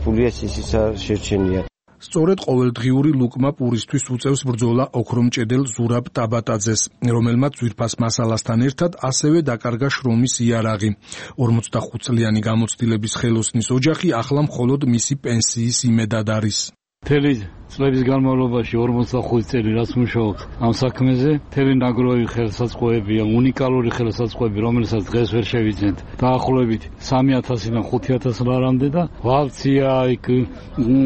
ფულია ისიც შეჩენია. სწორედ ყოველდღიური ლუკმა პურისთვის უწევს ბრძოლა ოქრომჭედელ ზურაბ ტაბატაძეს, რომელმაც ძვირფას მასალასთან ერთად ასევე დაკარგა შრომის იარაღი. 45 წლიანი გამოცდილების ხელოსნის ოჯახი ახლა მხოლოდ მისი პენსიის იმედად არის. მთელი წლების განმავლობაში 45 წელი რაც მუშაობთ ამ საქმეზე, მთელი ნაგროვი ხელსაწყოებია, უნიკალური ხელსაწყოები, რომელსაც დღეს ვერ შევიძენთ. დაახლოებით 3,000-დან 5,000 ლარამდე და ვალცია, იქ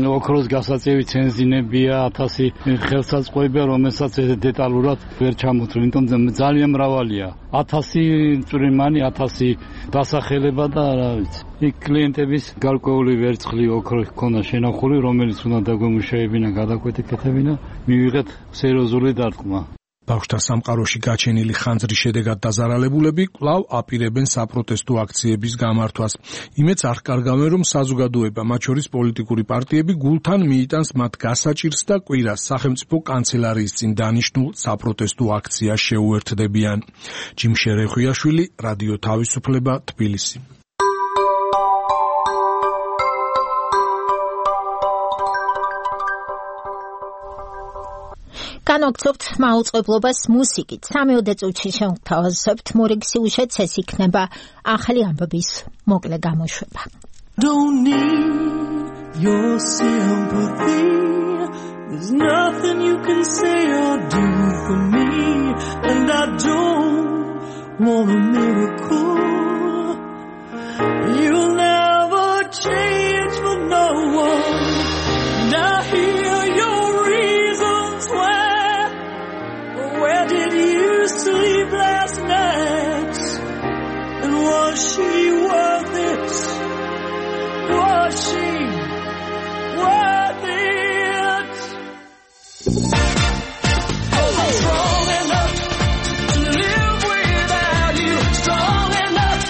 ოქროს გასაწევი ცენზინებია, 1000 ხელსაწყოებია, რომელსაც დეტალურად ვერ ჩამოთვლი, იმიტომ ძალიან მრავალია. 1000 წვრიმანი, 1000 დასახელება და რა ვიცი. იქ კლიენტების გარკვეული ვერცხლი ოქრო ჰქონდა შენახული, რომელიც უნდა დაგვემუშავებინა, გადაკვეთებინა, მივიღეთ სერიოზული დარტყმა. ბავშვთა სამყაროში გაჩენილი ხანძრის შედეგად დაზარალებულები კვლავ აპირებენ საპროტესტო აქციების გამართვას. იმედს არ კარგავენ, რომ საზოგადოება, მათ შორის პოლიტიკური პარტიები გულთან მიიტანს მათ გასაჭირს და კვირას სახელმწიფო კანცელარიის წინ დანიშნულ საპროტესტო აქციას შეუერთდებიან. ჯიმშე რეხვიაშვილი, რადიო თავისუფლება, თბილისი. განაგრძობთ მაუწყებლობას მუსიკით. 3 წუთში შევთავაზებთ მორიგ სიუჟეტს, ეს იქნება ახალი ამბების მოკლე გამოშვება. Don't need your sympathy. There's nothing you can say or do for me, and I don't want a miracle. You'll never change for no one. And I hear your reasons where did you sleep last night? And was she worth it? Was she worth it? Oh, strong enough to live without you. Strong enough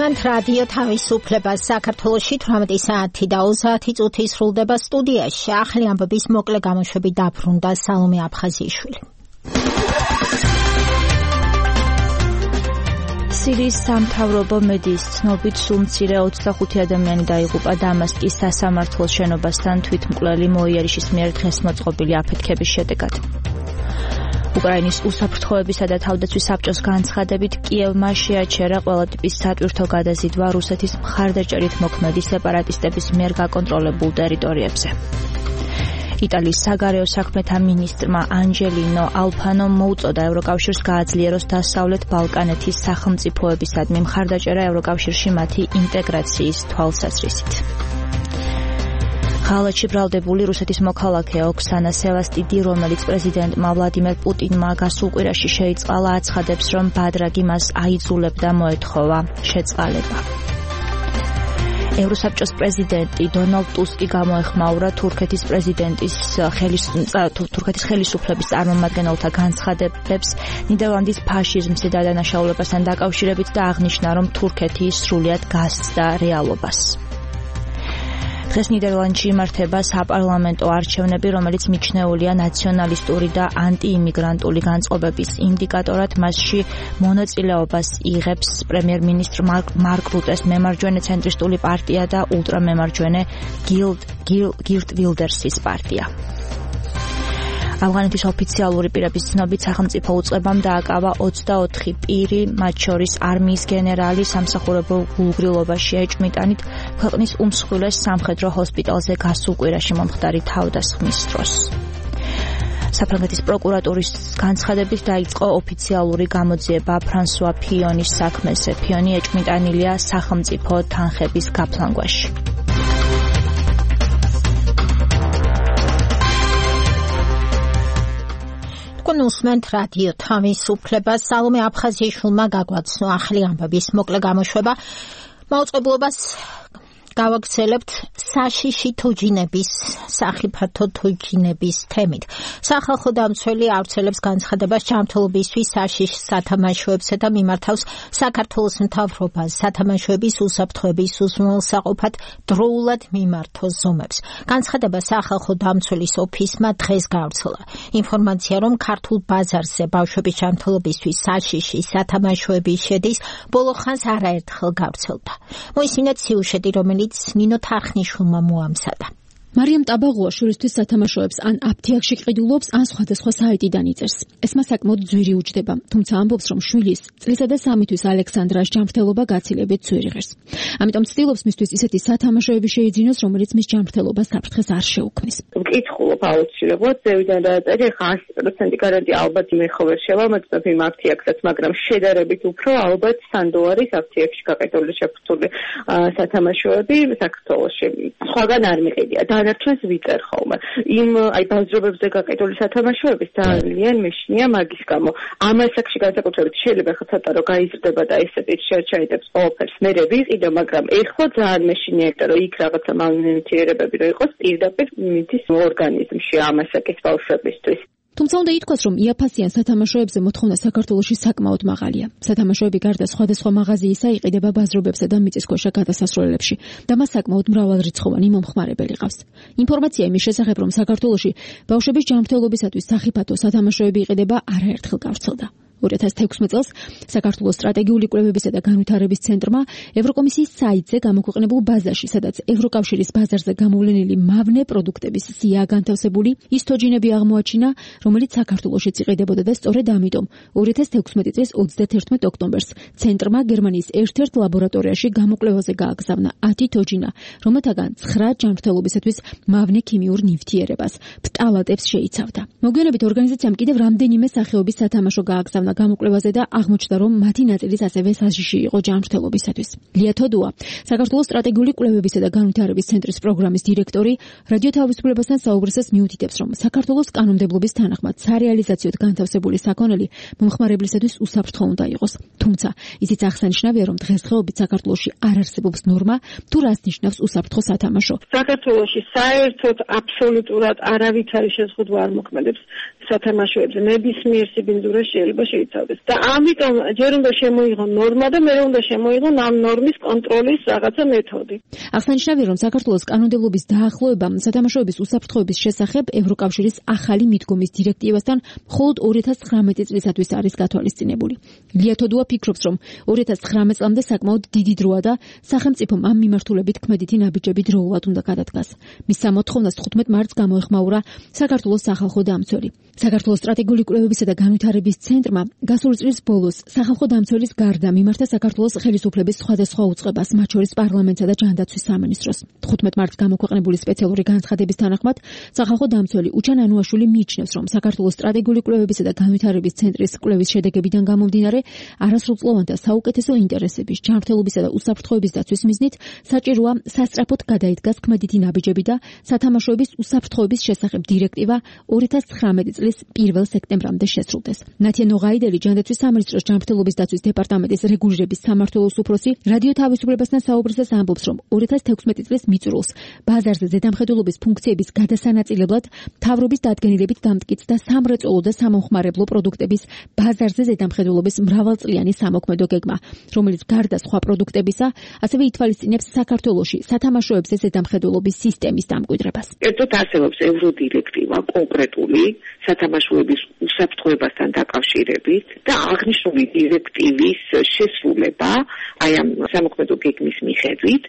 გულისმენთ რადიო თავისუფლებას საქართველოში 18 საათი და 30 წუთი სრულდება სტუდიაში. ახალი ამბების მოკლე გამოშვებით დაბრუნდა სალომე აფხაზიშვილი. სირიის სამთავრობო მედიის ცნობით სულ მცირე 25 ადამიანი დაიღუპა დამასკის სასამართლოს შენობასთან თვითმკვლელი მოიერიშის მიერ დღეს მოწყობილი აფეთქების შედეგად. უკრაინის უსაფრთხოებისა და თავდაცვის საბჭოს განცხადებით კიევმა შეაჩერა ყველა ტიპის სატვირთო გადაზიდვა რუსეთის მხარდაჭერით მოქმედი სეპარატისტების მიერ გაკონტროლებულ ტერიტორიებზე. იტალიის საგარეო საქმეთა მინისტრმა ანჯელინო ალფანომ მოუწოდა ევროკავშირს გააძლიეროს დასავლეთ ბალკანეთის სახელმწიფოებისადმი მხარდაჭერა ევროკავშირში მათი ინტეგრაციის თვალსაზრისით. ხალხში ბრალდებული რუსეთის მოქალაქე ოქსანა სევასტიდი, რომელიც პრეზიდენტმა ვლადიმერ პუტინმა გასულ კვირაში შეიწყალა, აცხადებს, რომ ბადრაგი მას აიძულებდა მოეთხოვა შეწყალება. ევროსაბჭოს პრეზიდენტი დონალდ ტუსკი გამოეხმაურა თურქეთის პრეზიდენტის თურქეთის ხელისუფლების წარმომადგენელთა განცხადებებს ნიდერლანდის ფაშიზმსა და დანაშაულებასთან დაკავშირებით და აღნიშნა, რომ თურქეთი სრულიად გასცდა რეალობას. დღეს ნიდერლანდში იმართება საპარლამენტო არჩევნები, რომელიც მიჩნეულია ნაციონალისტური და ანტიიმიგრანტული განწყობების ინდიკატორად. მასში მონაწილეობას იღებს პრემიერ-მინისტრ მარკ რუტეს მემარჯვენე ცენტრისტული პარტია და ულტრამემარჯვენე გირტ ვილდერსის პარტია. ავღანეთის ოფიციალური პირების ცნობით სახელმწიფო უწყებამ დააკავა 24 პირი, მათ შორის არმიის გენერალი, სამსახურებო გულგრილობაში ეჭვმიტანით ქვეყნის უმსხვილეს სამხედრო ჰოსპიტალზე გასულ კვირაში მომხდარი თავდასხმის დროს. საფრანგეთის პროკურატურის განცხადებით დაიწყო ოფიციალური გამოძიება ფრანსუა ფიონის საქმეზე. ფიონი ეჭვმიტანილია სახელმწიფო თანხების გაფლანგვაში. გულისმენთ რადიო თავისუფლებას. სალომე აფხაზიშვილმა გაგვაცნო ახალი ამბების მოკლე გამოშვება. მაუწყებლობას გავაგრძელებთ საშიში თოჯინების, სახიფათო თოჯინების თემით. სახალხო დამცველი ავრცელებს განცხადებას ჯანმრთელობისთვის საშიშ სათამაშოებსა და მიმართავს საქართველოს მთავრობას სათამაშოების უსაფრთხოების უზრუნველსაყოფად დროულად მიმართოს ზომებს. განცხადება სახალხო დამცველის ოფისმა დღეს გავრცელა. ინფორმაცია, რომ ქართულ ბაზარზე ბავშვების ჯანმრთელობისთვის საშიში სათამაშოები შედის, ბოლო ხანს არაერთხელ გავრცელდა. მოისმინეთ სიუჟეტი, რომელიც ნინო თარხნიშვილმა მოამზადა. მარიამ ტაბაღუა შვილისთვის სათამაშოებს ან აფთიაქში ყიდულობს, ან სხვადასხვა საიტიდან იწერს. ეს მას საკმაოდ ძვირი უჯდება, თუმცა ამბობს, რომ შვილის წლისა და 3 თვის ალექსანდრას ჯანმრთელობა გაცილებით ძვირი ღირს. ამიტომ ცდილობს მისთვის ისეთი სათამაშოები შეიძინოს, რომელიც მის ჯანმრთელობას საფრთხეს არ შეუქმნის. ვკითხულობ აუცილებლად, ზევიდან დააწერი, ხა 100% გარანტია ალბათ იმეხო ვერ შევამოწმებ იმ აფთიაქსაც, მაგრამ შედარებით უფრო ალბათ $100 აფთიაქში გაყიდული შეფუთული სათამაშოები საქართველოში. სხვაგან არ მიყიდია. დანარჩენს ვიწერ ხოლმე. იმ ბაზრობებზე გაყიდული სათამაშოების ძალიან მეშინია მაგის გამო. ამ ასაკში განსაკუთრებით შეიძლება ხა ცოტა რომ გაიზრდება და ესეთი შეჩაიდებს ყველაფერს მე ვიყიდო, მაგრამ ეხლა ძალიან მეშინია, რომ იქ რაღაცა მალნიუთრირებები რო იყოს პირდაპირ მიდის ორგანიზმში ამ ასაკის ბავშვებისთვის. თუმცა უნდა ითქვას, რომ იაფასიან სათამაშოებზე მოთხოვნა საქართველოში საკმაოდ მაღალია. სათამაშოები გარდა სხვადასხვა მაღაზიისა იყიდება ბაზრობებსა და მიწისქვეშა გადასასვლელებში და მას საკმაოდ მრავალრიცხოვანი მომხმარებელი ყავს. ინფორმაცია იმის შესახებ, რომ საქართველოში ბავშვების ჯანმრთელობისათვის სახიფათო სათამაშოები იყიდება, არაერთხელ გავრცელდა. 2016 წელს საქართველოს სტრატეგიული კვლევებისა და განვითარების ცენტრმა ევროკომისიის საიტზე გამოქვეყნებულ ბაზაში, სადაც ევროკავშირის ბაზარზე გამოვლენილი მავნე პროდუქტების სია განთავსებული, ის თოჯინები აღმოაჩინა, რომელიც საქართველოშიც იყიდებოდა და სწორედ ამიტომ 2016 წლის 31 ოქტომბერს ცენტრმა გერმანიის ერთ-ერთ ლაბორატორიაში გამოკვლევაზე გააგზავნა 10 თოჯინა, რომელთაგან 9 ჯანმრთელობისათვის მავნე ქიმიურ ნივთიერებას, ფტალატებს შეიცავდა. მოგვიანებით ორგანიზაციამ კიდევ რამდენიმე სახეობის სათამაშო გააგზავნა გამოკვლევაზე და აღმოჩნდა, რომ მათი ნაწილიც ასევე საშიში იყო ჯანმრთელობისათვის. ლია თოდუა, საქართველოს სტრატეგიული კვლევებისა და განვითარების ცენტრის პროგრამის დირექტორი, რადიო თავისუფლებასთან საუბრისას მიუთითებს, რომ საქართველოს კანონმდებლობის თანახმად სარეალიზაციოდ განთავსებული საქონელი მომხმარებლისათვის უსაფრთხო უნდა იყოს. თუმცა ისიც აღსანიშნავია, რომ დღესდღეობით საქართველოში არ არსებობს ნორმა, თუ რას ნიშნავს უსაფრთხო სათამაშო. საქართველოში საერთოდ აბსოლუტურად არავითარი შეზღუდვა არ მოქმედებს სათამაშოებზე. ნებისმიერ სიბინძურეს შეიძლება შეიცავდეს. და ამიტომ ჯერ უნდა შემოიღო ნორმა და მე უნდა შემოიღო ამ ნორმის კონტროლის რაღაცა მეთოდი. აღსანიშნავია, რომ საქართველოს კანონმდებლობის დაახლოება სათამაშოების უსაფრთხოების შესახებ ევროკავშირის ახალი მიდგომის დირექტივასთან მხოლოდ 2019 წლისათვის არის გათვალისწინებული. ლია თოდუა ფიქრობს, რომ 2019 წლამდე საკმაოდ დიდი დროა და სახელმწიფომ ამ მიმართულებით ქმედითი ნაბიჯები დროულად უნდა გადადგას. მის სამოთხოვნას 15 მარტს გამოეხმაურა საქართველოს სახალხო დამცველი. საქართველოს სტრატეგიული კვლევებისა და განვითარების ცენტრმა გასული წლის ბოლოს სახალხო დამცველის გარდა მიმართა საქართველოს ხელისუფლების სხვადასხვა უწყებას, მათ შორის პარლამენტსა და ჯანდაცვის სამინისტროს. 15 მარტს გამოქვეყნებული სპეციალური განცხადების თანახმად სახალხო დამცველი უჩან ანუაშვილი მიიჩნევს, რომ საქართველოს სტრატეგიული კვლევებისა და განვითარების ცენტრის კვლევის შედეგებიდან გამომდინარე არასრულწლოვან და საუკეთესო ინტერესების, ჯანმრთელობისა და უსაფრთხოების დაცვის მიზნით საჭიროა სასწრაფოდ გადაიდგას ქმედითი ნაბიჯები და სათამაშოების უსაფრთხოების შესახებ დირექტივა 2019 წლის 1 სექტემბრამდე შესრულდეს. ნათია ნოღაიდელი, ჯანდაცვის სამინისტროს ჯანმრთელობის დაცვის დეპარტამენტის რეგულირების სამმართველოს უფროსი, რადიო თავისუფლებასთან საუბრისას ამბობს, რომ 2016 წლის მიწურულს ბაზარზე ზედამხედველობის ფუნქციების გადასანაწილებლად მთავრობის დადგენილებით დამტკიცდა სამრეწველო და სამომხმარებლო პროდუქტების ბაზარზე ზედამხედველობის მრავალწლიანი სამოქმედო გეგმა, რომელიც გარდა სხვა პროდუქტებისა, ასევე ითვალისწინებს საქართველოში სათამაშოებზე ზედამხედველობის სისტემის დამკვიდრებას. ერთად არსებობს ევროდირექტივა კონკრეტული სათამაშოების უსაფრთხოებასთან დაკავშირებით და აღნიშნული დირექტივის შესრულება აი ამ სამოქმედო გეგმის მიხედვით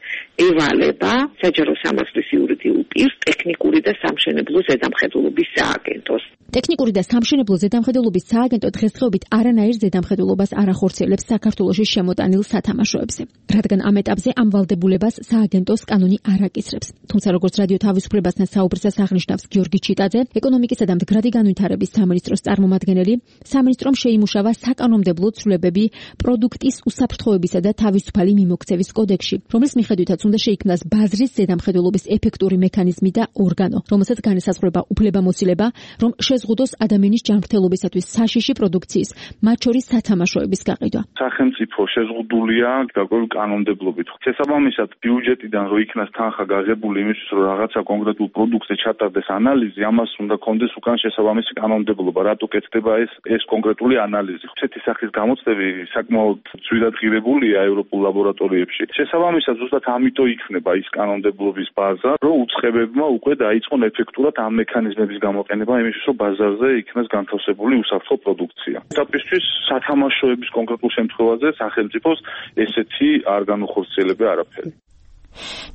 ევალება საჯარო სამართლის იურიდიულ პირს ტექნიკური და სამშენებლო ზედამხედველობის სააგენტოს. ტექნიკური და სამშენებლო ზედამხედველობის სააგენტო დღესდღეობით არანაირ ზედამხედველობას არ ახორციელებს საქართველოში შემოტანილ სათამაშოებზე, რადგან ამ ეტაპზე ამ ვალდებულებას სააგენტოს კანონი არ აკისრებს. თუმცა როგორც რადიო თავისუფლებასთან საუბრისას აღნიშნავს გიორგი ჩიტაძე, ეკონომიკისა და მდგრადი განვითარების სამინისტროს წარმომადგენელი, სამინისტრომ შეიმუშავა საკანონმდებლო ცვლილებები პროდუქტის უსაფრთხოებისა და თავისუფალი მიმოქცევის კოდექსში, რომლის მიხედვითაც უნდა შეიქმნას ბაზრის ზედამხედველობის ეფექტური მექანიზმი და ორგანო, რომელსაც განესაზღვრება უფლებამოსილება, რომ შეზღუდოს ადამიანის ჯანმრთელობისათვის საშიში პროდუქციის, მათ შორის სათამაშოების გაყიდვა. სახელმწიფო შეზღუდულია გარკვეული კანონმდებლობით. შესაბამისად, ბიუჯეტიდან რო იქნას თანხა გაღებული იმისთვის, რომ რაღაცა კონკრეტულ პროდუქტზე ჩატარდეს ანალიზი, ამას უნდა კონდეს უკან შესაბამისი კანონმდებლობა, რატო კეთდება ეს კონკრეტული ანალიზი. ესეთი სახის გამოცდები საკმაოდ ძვირად ღირებულია ევროპულ ლაბორატორიებში. შესაბამისად, ზუსტად ამიტომ იქნება ის კანონმდებლობის ბაზა, რომ უწყებებმა უკვე დაიწყონ ეფექტურად ამ მექანიზმების გამოყენება იმისთვის, რომ ბაზარზე იქნას განთავსებული უსაფრთხო პროდუქცია. ეტაპისთვის სათამაშოების კონკრეტულ შემთხვევაზე სახელმწიფოს ესეთი არ განუხორციელებია არაფერი.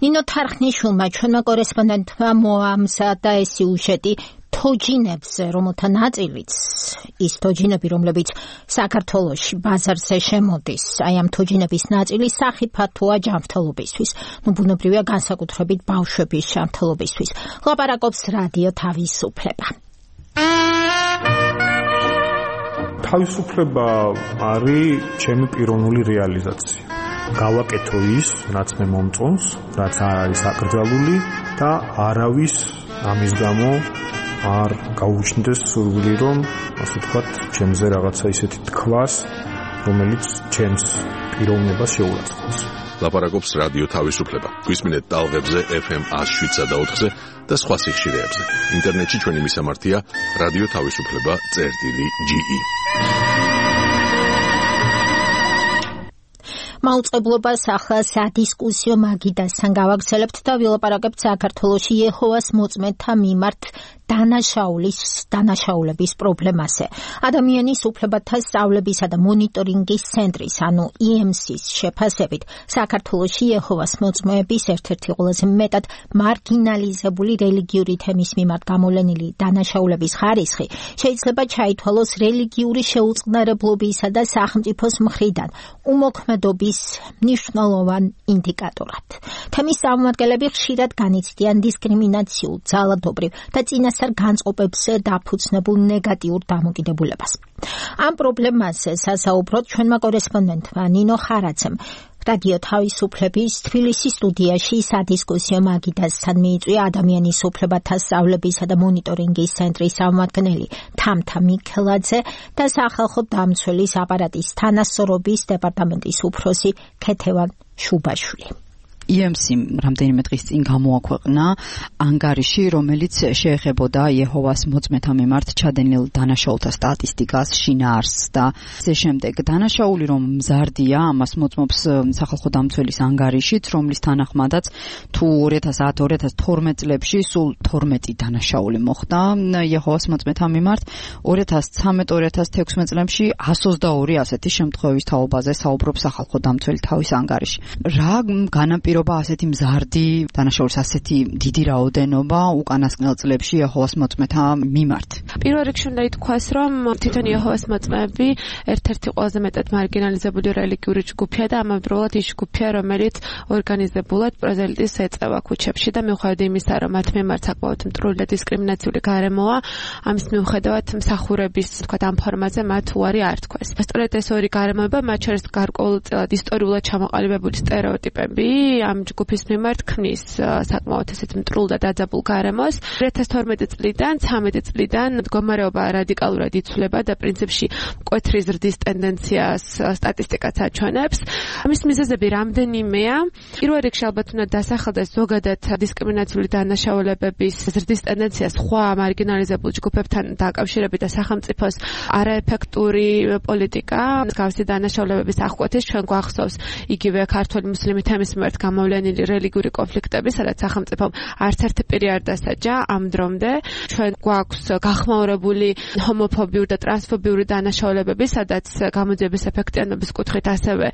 ნინო თარხნიშვილმა ჩვენმა კორესპონდენტმა მოამზადა და ეს სიუჟეტი თოჯინებზე, რომელთა ნაწილიც ის თოჯინები, რომლებიც საქართველოში ბაზარზე შემოდის, აი ამ თოჯინების ნაწილი სახიფათოა ჯანმრთელობისთვის, ბუნებრივია განსაკუთრებით ბავშვების ჯანმრთელობისთვის. ლაპარაკობს რადიო თავისუფლება. თავისუფლება არის ჩემი პიროვნული რეალიზაცია. გავაკეთო ის, რაც მე მომწონს, რაც არ არის აკრძალული და არავის ამის გამო არ გაუჩნდეს სურვილი, რომ ასე ვთქვათ, ჩემზე რაღაცა ისეთი თქვას, რომელიც ჩემს პიროვნებას შეურაცხყოფს. ლაპარაკობს რადიო თავისუფლება. გვისმინეთ ტალღებზე FM 107.4-ზე და სხვა სიხშირეებზე. ინტერნეტში ჩვენი მისამართია რადიო თავისუფლება.ge. მაუწყებლობას ახლა სადისკუსიო მაგიდასთან გავაგრძელებთ და ვილაპარაკებთ საქართველოში იეჰოვას მოწმეთა მიმართ დანაშაულების პრობლემაზე. ადამიანის უფლებათა სწავლებისა და მონიტორინგის ცენტრის, ანუ EMC-ის შეფასებით, საქართველოში იეჰოვას მოწმეების ერთ-ერთი ყველაზე მეტად მარგინალიზებული რელიგიური თემის მიმართ გამოვლენილი დანაშაულების ხარისხი შეიძლება ჩაითვალოს რელიგიური შეუწყნარებლობისა და სახელმწიფოს მხრიდან უმოქმედობის მნიშვნელოვან ინდიკატორად. თემის წარმომადგენლები ხშირად განიცდიან დისკრიმინაციულ, ძალადობრივ და წინასწარ განწყობებზე დაფუძნებულ ნეგატიურ დამოკიდებულებას. ამ პრობლემაზე სასაუბროდ ჩვენმა კორესპონდენტმა ნინო ხარაძემ რადიო თავისუფლების თბილისის სტუდიაში სადისკუსიო მაგიდასთან მიიწვია ადამიანის უფლებათა სწავლებისა და მონიტორინგის ცენტრის წარმომადგენელი თამთა მიქელაძე და სახალხო დამცველის აპარატის თანასწორობის დეპარტამენტის უფროსი ქეთევან შუბაშვილი. EMC-მ რამდენიმე დღის წინ გამოაქვეყნა ანგარიში, რომელიც შეეხებოდა იეჰოვას მოწმეთა მიმართ ჩადენილ დანაშაულთა სტატისტიკას, შინაარსს და ასე შემდეგ. დანაშაული რომ მზარდია, ამას მოწმობს სახალხო დამცველის ანგარიშიც, რომლის თანახმადაც თუ 2010-2012 წლებში სულ 12 დანაშაული მოხდა იეჰოვას მოწმეთა მიმართ, 2013-2016 წლებში 122 ასეთი შემთხვევის თაობაზე საუბრობს სახალხო დამცველი თავის ანგარიში. რა განაპირობა ასეთი მზარდი დანაშაულის ასეთი დიდი რაოდენობა უკანასკნელ წლებში იეჰოვას მოწმეთა მიმართ? პირველ რიგში უნდა ითქვას, რომ თვითონ იეჰოვას მოწმეები ერთ-ერთი ყველაზე მეტად მარგინალიზებული რელიგიური ჯგუფია და ამავდროულად ის ჯგუფია, რომელიც ორგანიზებულად პროზელიტის ეწევა ქუჩებში და მიუხედავად იმისა, რომ მათ მიმართ საკმაოდ მტრული და დისკრიმინაციული გარემოა, ამის მიუხედავად მსახურების ამ ფორმაზე მათ უარი არ თქვეს. სწორედ ეს ორი გარემოება, მათ შორის გარკვეულწილად ისტორიულად ჩამოყალიბებული სტერეოტიპები ამ ჯგუფის მიმართ ქმნის საკმაოდ ესეთ მტრულ და დაძაბულ გარემოს. 2012 წლიდან 13 წლიდან მდგომარეობა რადიკალურად იცვლება და პრინციპში მკვეთრი ზრდის ტენდენციას სტატისტიკაც აჩვენებს. ამის მიზეზები რამდენიმეა. პირველ რიგში ალბათ უნდა დასახელდეს ზოგადად დისკრიმინაციული დანაშაულებების ზრდის ტენდენცია სხვა მარგინალიზებულ ჯგუფებთან დაკავშირებით და სახელმწიფოს არაეფექტური პოლიტიკა, მსგავსი დანაშაულებების აღკვეთის ჩვენ გვახსოვს იგივე ქართული მუსლიმი თემის მიმართ გამოვლენილი რელიგიური კონფლიქტები, სადაც სახელმწიფომ არც ერთი პირი არ დასაჯა ამ დრომდე. ჩვენ გვაქვს გახმაურებული ჰომოფობიური და ტრანსფობიური დანაშაულებები, სადაც გამოძიების ეფექტიანობის კუთხით ასევე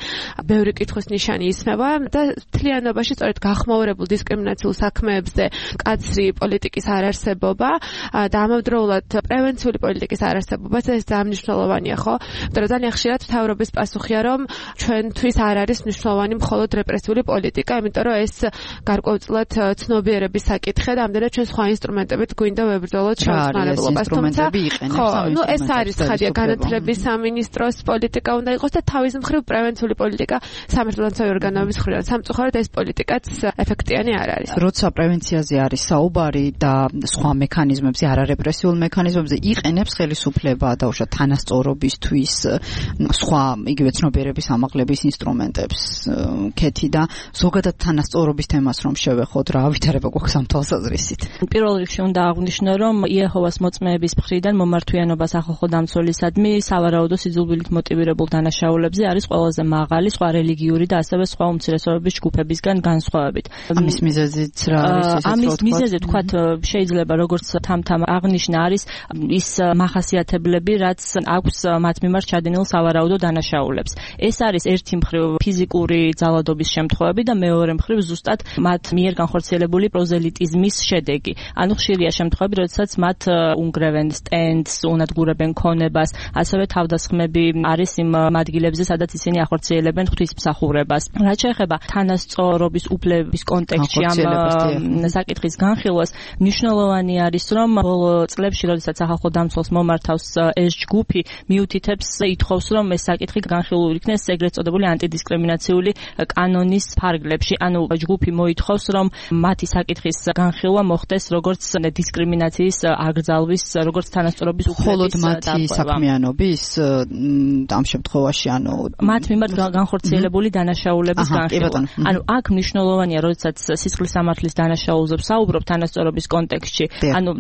ბევრი კითხვის ნიშანი ისმევა და მთლიანობაში სწორედ გახმაურებულ დისკრიმინაციულ საქმეებზე მკაცრი პოლიტიკის არარსებობა და ამავდროულად პრევენციული პოლიტიკის არარსებობაც ეს ძალიან მნიშვნელოვანია, ხო? იმიტომ რომ ძალიან ხშირად მთავრობის პასუხია, რომ ჩვენთვის არ არის მნიშვნელოვანი მხოლოდ რეპრესიული პოლიტიკა, იმიტომ რომ ეს გარკვეულწილად ცნობიერების საკითხია და ამდენად ჩვენ სხვა ინსტრუმენტებით გვინდა ვებრძოლოთ შეუწყალებლობას. თუმცა ხო, ეს არის ხადია განათლების სამინისტროს პოლიტიკა უნდა იყოს და თავის მხრივ პრევენციული პოლიტიკა სამართალდამცავი ორგანოების მხრიდან. სამწუხაროდ ეს პოლიტიკაც ეფექტიანი არ არის. როცა პრევენციაზე არის საუბარი და სხვა მექანიზმებზე, არარეპრესიულ მექანიზმებზე იყენებს ხელისუფლება დაუშვათ თანასწორობისთვის სხვა იგივე ცნობიერების ამაღლების ინსტრუმენტებს ქეთი და ზოგადად თანასწორობის თემას რომ შევეხოთ, რა ვითარება გვაქვს ამ თვალსაზრისით. პირველ რიგში უნდა აღვნიშნო, რომ იეჰოვას მოწმეების მხრიდან მომართვიანობა სახალხო დამცველისადმი სავარაუდო სიძულვილით მოტივირებულ დანაშაულებზე არის ყველაზე მაღალი სხვა რელიგიური და ასევე სხვა უმცირესობების ჯგუფებისგან განსხვავებით. ამის მიზეზიც რა არის? ამის მიზეზი თქვათ შეიძლება როგორც თამთამ აღნიშნა არის ის მახასიათებლები, რაც აქვს მათ მიმართ ჩადენილ სავარაუდო დანაშაულებს. ეს არის ერთი მხრივ ფიზიკური ძალადობის შემთხვევები და მეორე მხრივ ზუსტად მათ მიერ განხორციელებული პროზელიტიზმის შედეგი. ანუ ხშირია შემთხვევები, როდესაც მათ უნგრევენ სტენდს, უნადგურებენ ქონებას, ასევე თავდასხმები არის იმ ადგილებზე, სადაც ისინი ახორციელებენ ღვთისმსახურებას. რაც შეეხება თანასწორობის უფლების კონტექსტში ამ საკითხის განხილვას, მნიშვნელოვანი არის, რომ ბოლო წლებში, როდესაც სახალხო დამცველს მომართავს ეს ჯგუფი, მიუთითებს ითხოვს, რომ ეს საკითხი განხილული იქნეს ეგრეთ წოდებული ანტიდისკრიმინაციული კანონის ფარგლებში. ანუ ჯგუფი მოითხოვს, რომ მათი საკითხის განხილვა მოხდეს როგორც დისკრიმინაციის აკრძალვის, როგორც თანასწორობის უფლების მათი საქმიანობის ამ შემთხვევაში, ანუ მათ მიმართ განხორციელებული დანაშაულების განხილვა. ანუ აქ მნიშვნელოვანია, როდესაც სისხლის სამართლის დანაშაულზე ვსაუბრობ თანასწორობის კონტექსტში, ანუ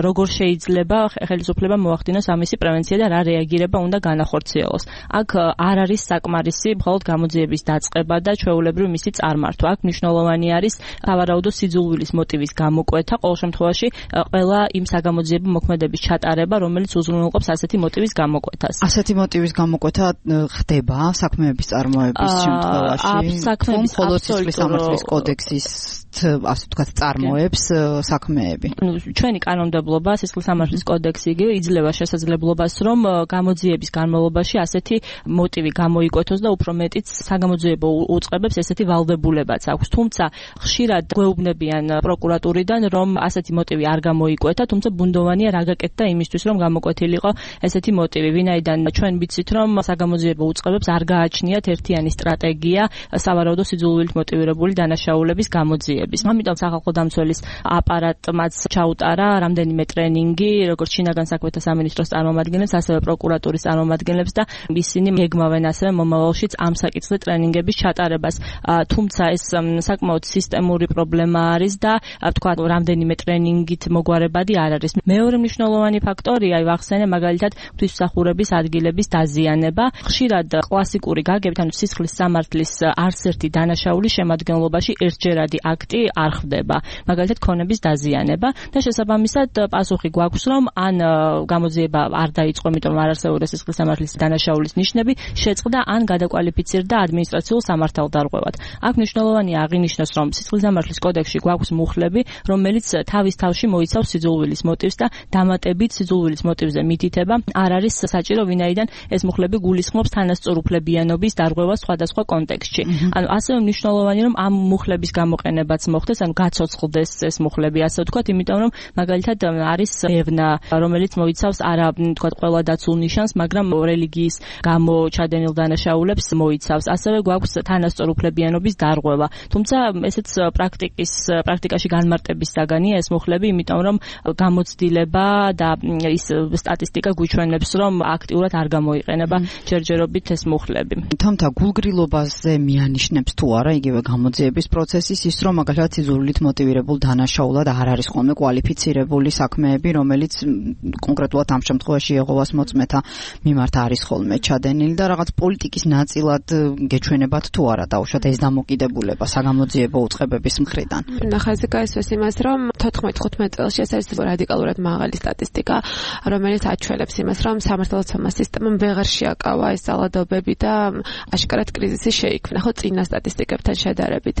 როგორ შეიძლება ხელისუფლება მოახდინოს ამისი პრევენცია და რა რეაგირება უნდა განახორციელოს. აქ არ არის საკმარისი მხოლოდ გამოძიების დაწყება და ჩვეულებრივ მისი წარმართვა. აქ მნიშვნელოვანი არის სავარაუდო სიძულვილის მოტივის გამოკვეთა, ყოველ შემთხვევაში ყველა იმ საგამოძიებო მოქმედების ჩატარება, რომელიც უზრუნველყოფს ასეთი მოტივის გამოკვეთას. ასეთი მოტივის გამოკვეთა ხდება საქმეების წარმოების შემთხვევაში. საქმეების მხოლოდ სისხლის სამართლის კოდექსის ასე ვთქვათ წარმოებს საქმეები. ჩვენი კანონმდებლობა, სისხლის სამართლის კოდექსი იგივე იძლევა შესაძლებლობას, რომ გამოძიების განმავლობაში ასეთი მოტივი გამოიკვეთოს და უფრო მეტიც საგამოძიებო უწყებებს ესეთი ვალდებულებაც აქვს. თუმცა ხშირად გვეუბნებიან პროკურატურიდან, რომ ასეთი მოტივი არ გამოიკვეთა, თუმცა ბუნდოვანია რა გაკეთდა იმისთვის, რომ გამოკვეთილიყო ესეთი მოტივი, ვინაიდან ჩვენ ვიცით, რომ საგამოძიებო უწყებებს არ გააჩნიათ ერთიანი სტრატეგია სავარაუდო სიძულვილით მოტივირებული დანაშაულების გამოძიების. ამიტომ სახალხო დამცველის აპარატმაც ჩაუტარა რამდენიმე ტრენინგი, როგორც შინაგან საქმეთა სამინისტროს წარმომადგენლებს, ასევე პროკურატურის წარმომადგენლებს და ისინი გეგმავენ ასევე მომავალშიც ამ საკითხზე ტრენინგების ჩატარებას. თუმცა ეს საკმაოდ სისტემური პრობლემა არის და თქვა რამდენიმე ტრენინგით მოგვარებადი არ არის. მეორე მნიშვნელოვანი ფაქტორია, ვახსენე მაგალითად ღვთისმსახურების ადგილების დაზიანება. ხშირად კლასიკური გაგებით, ანუ სისხლის სამართლის არც ერთი დანაშაულის შემადგენლობაში ერთჯერადი აქტი არ ხდება. მაგალითად ქონების დაზიანება და შესაბამისად პასუხი გვაქვს, რომ ან გამოძიება არ დაიწყო, იმიტომ რომ არ არსებობდა სისხლის სამართლის დანაშაულის ნიშნები, შეწყდა ან გადაკვალიფიცირდა ადმინისტრაციულ სამართალდარღვევად. აქ მნიშვნელოვანია აღინიშნოს, რომ სისხლის სამართლის კოდექსში გვაქვს მუხლები, რომელიც თავის თავში მოიცავს სიძულვილის მოტივს და დამატებით სიძულვილის მოტივზე მითითება არ არის საჭირო, ვინაიდან ეს მუხლები გულისხმობს თანასწორუფლებიანობის დარღვევას სხვადასხვა კონტექსტში. ანუ ასევე მნიშვნელოვანია, რომ ამ მუხლების გამოყენებაც მოხდეს, ანუ გაცოცხლდეს ეს მუხლები, ასე ვთქვათ, იმიტომ რომ მაგალითად არის ევნა, რომელიც მოიცავს არა ვთქვათ ყველა დაცულ ნიშანს, მაგრამ რელიგიის გამო ჩადენილ დანაშაულებს მოიცავს. ასევე გვაქვს თანასწორუფლებიანობის დარღვევა. თუმცა ესეც პრაქტიკაში განმარტების საგანია ეს მუხლები, იმიტომ რომ გამოცდილება და ის სტატისტიკა გვიჩვენებს, რომ აქტიურად არ გამოიყენება ჯერჯერობით ეს მუხლები. თუმცა გულგრილობაზე მიანიშნებს თუ არა იგივე გამოძიების პროცესის ის, რომ მაგალითად სიძულვილით მოტივირებულ დანაშაულად არ არის ხოლმე კვალიფიცირებული საქმეები, რომელიც კონკრეტულად ამ შემთხვევაში იეჰოვას მოწმეთა მიმართ არის ხოლმე ჩადენილი და რაღაც პოლიტიკის ნაწილად გეჩვენებათ თუ არა დაუშვათ ეს დამოკიდებულება საგამოძიებო უწყებების მხრიდან. ნახაზი გაისვეს იმას, რომ 14-15 წელს ეს არის რადიკალურად მაღალი სტატისტიკა, რომელიც აჩვენებს იმას, რომ სამართალდაცვა სისტემამ ვეღარ შეაკავა ეს ძალადობები და აშკარად კრიზისი შეიქმნა, ხო წინა სტატისტიკებთან შედარებით.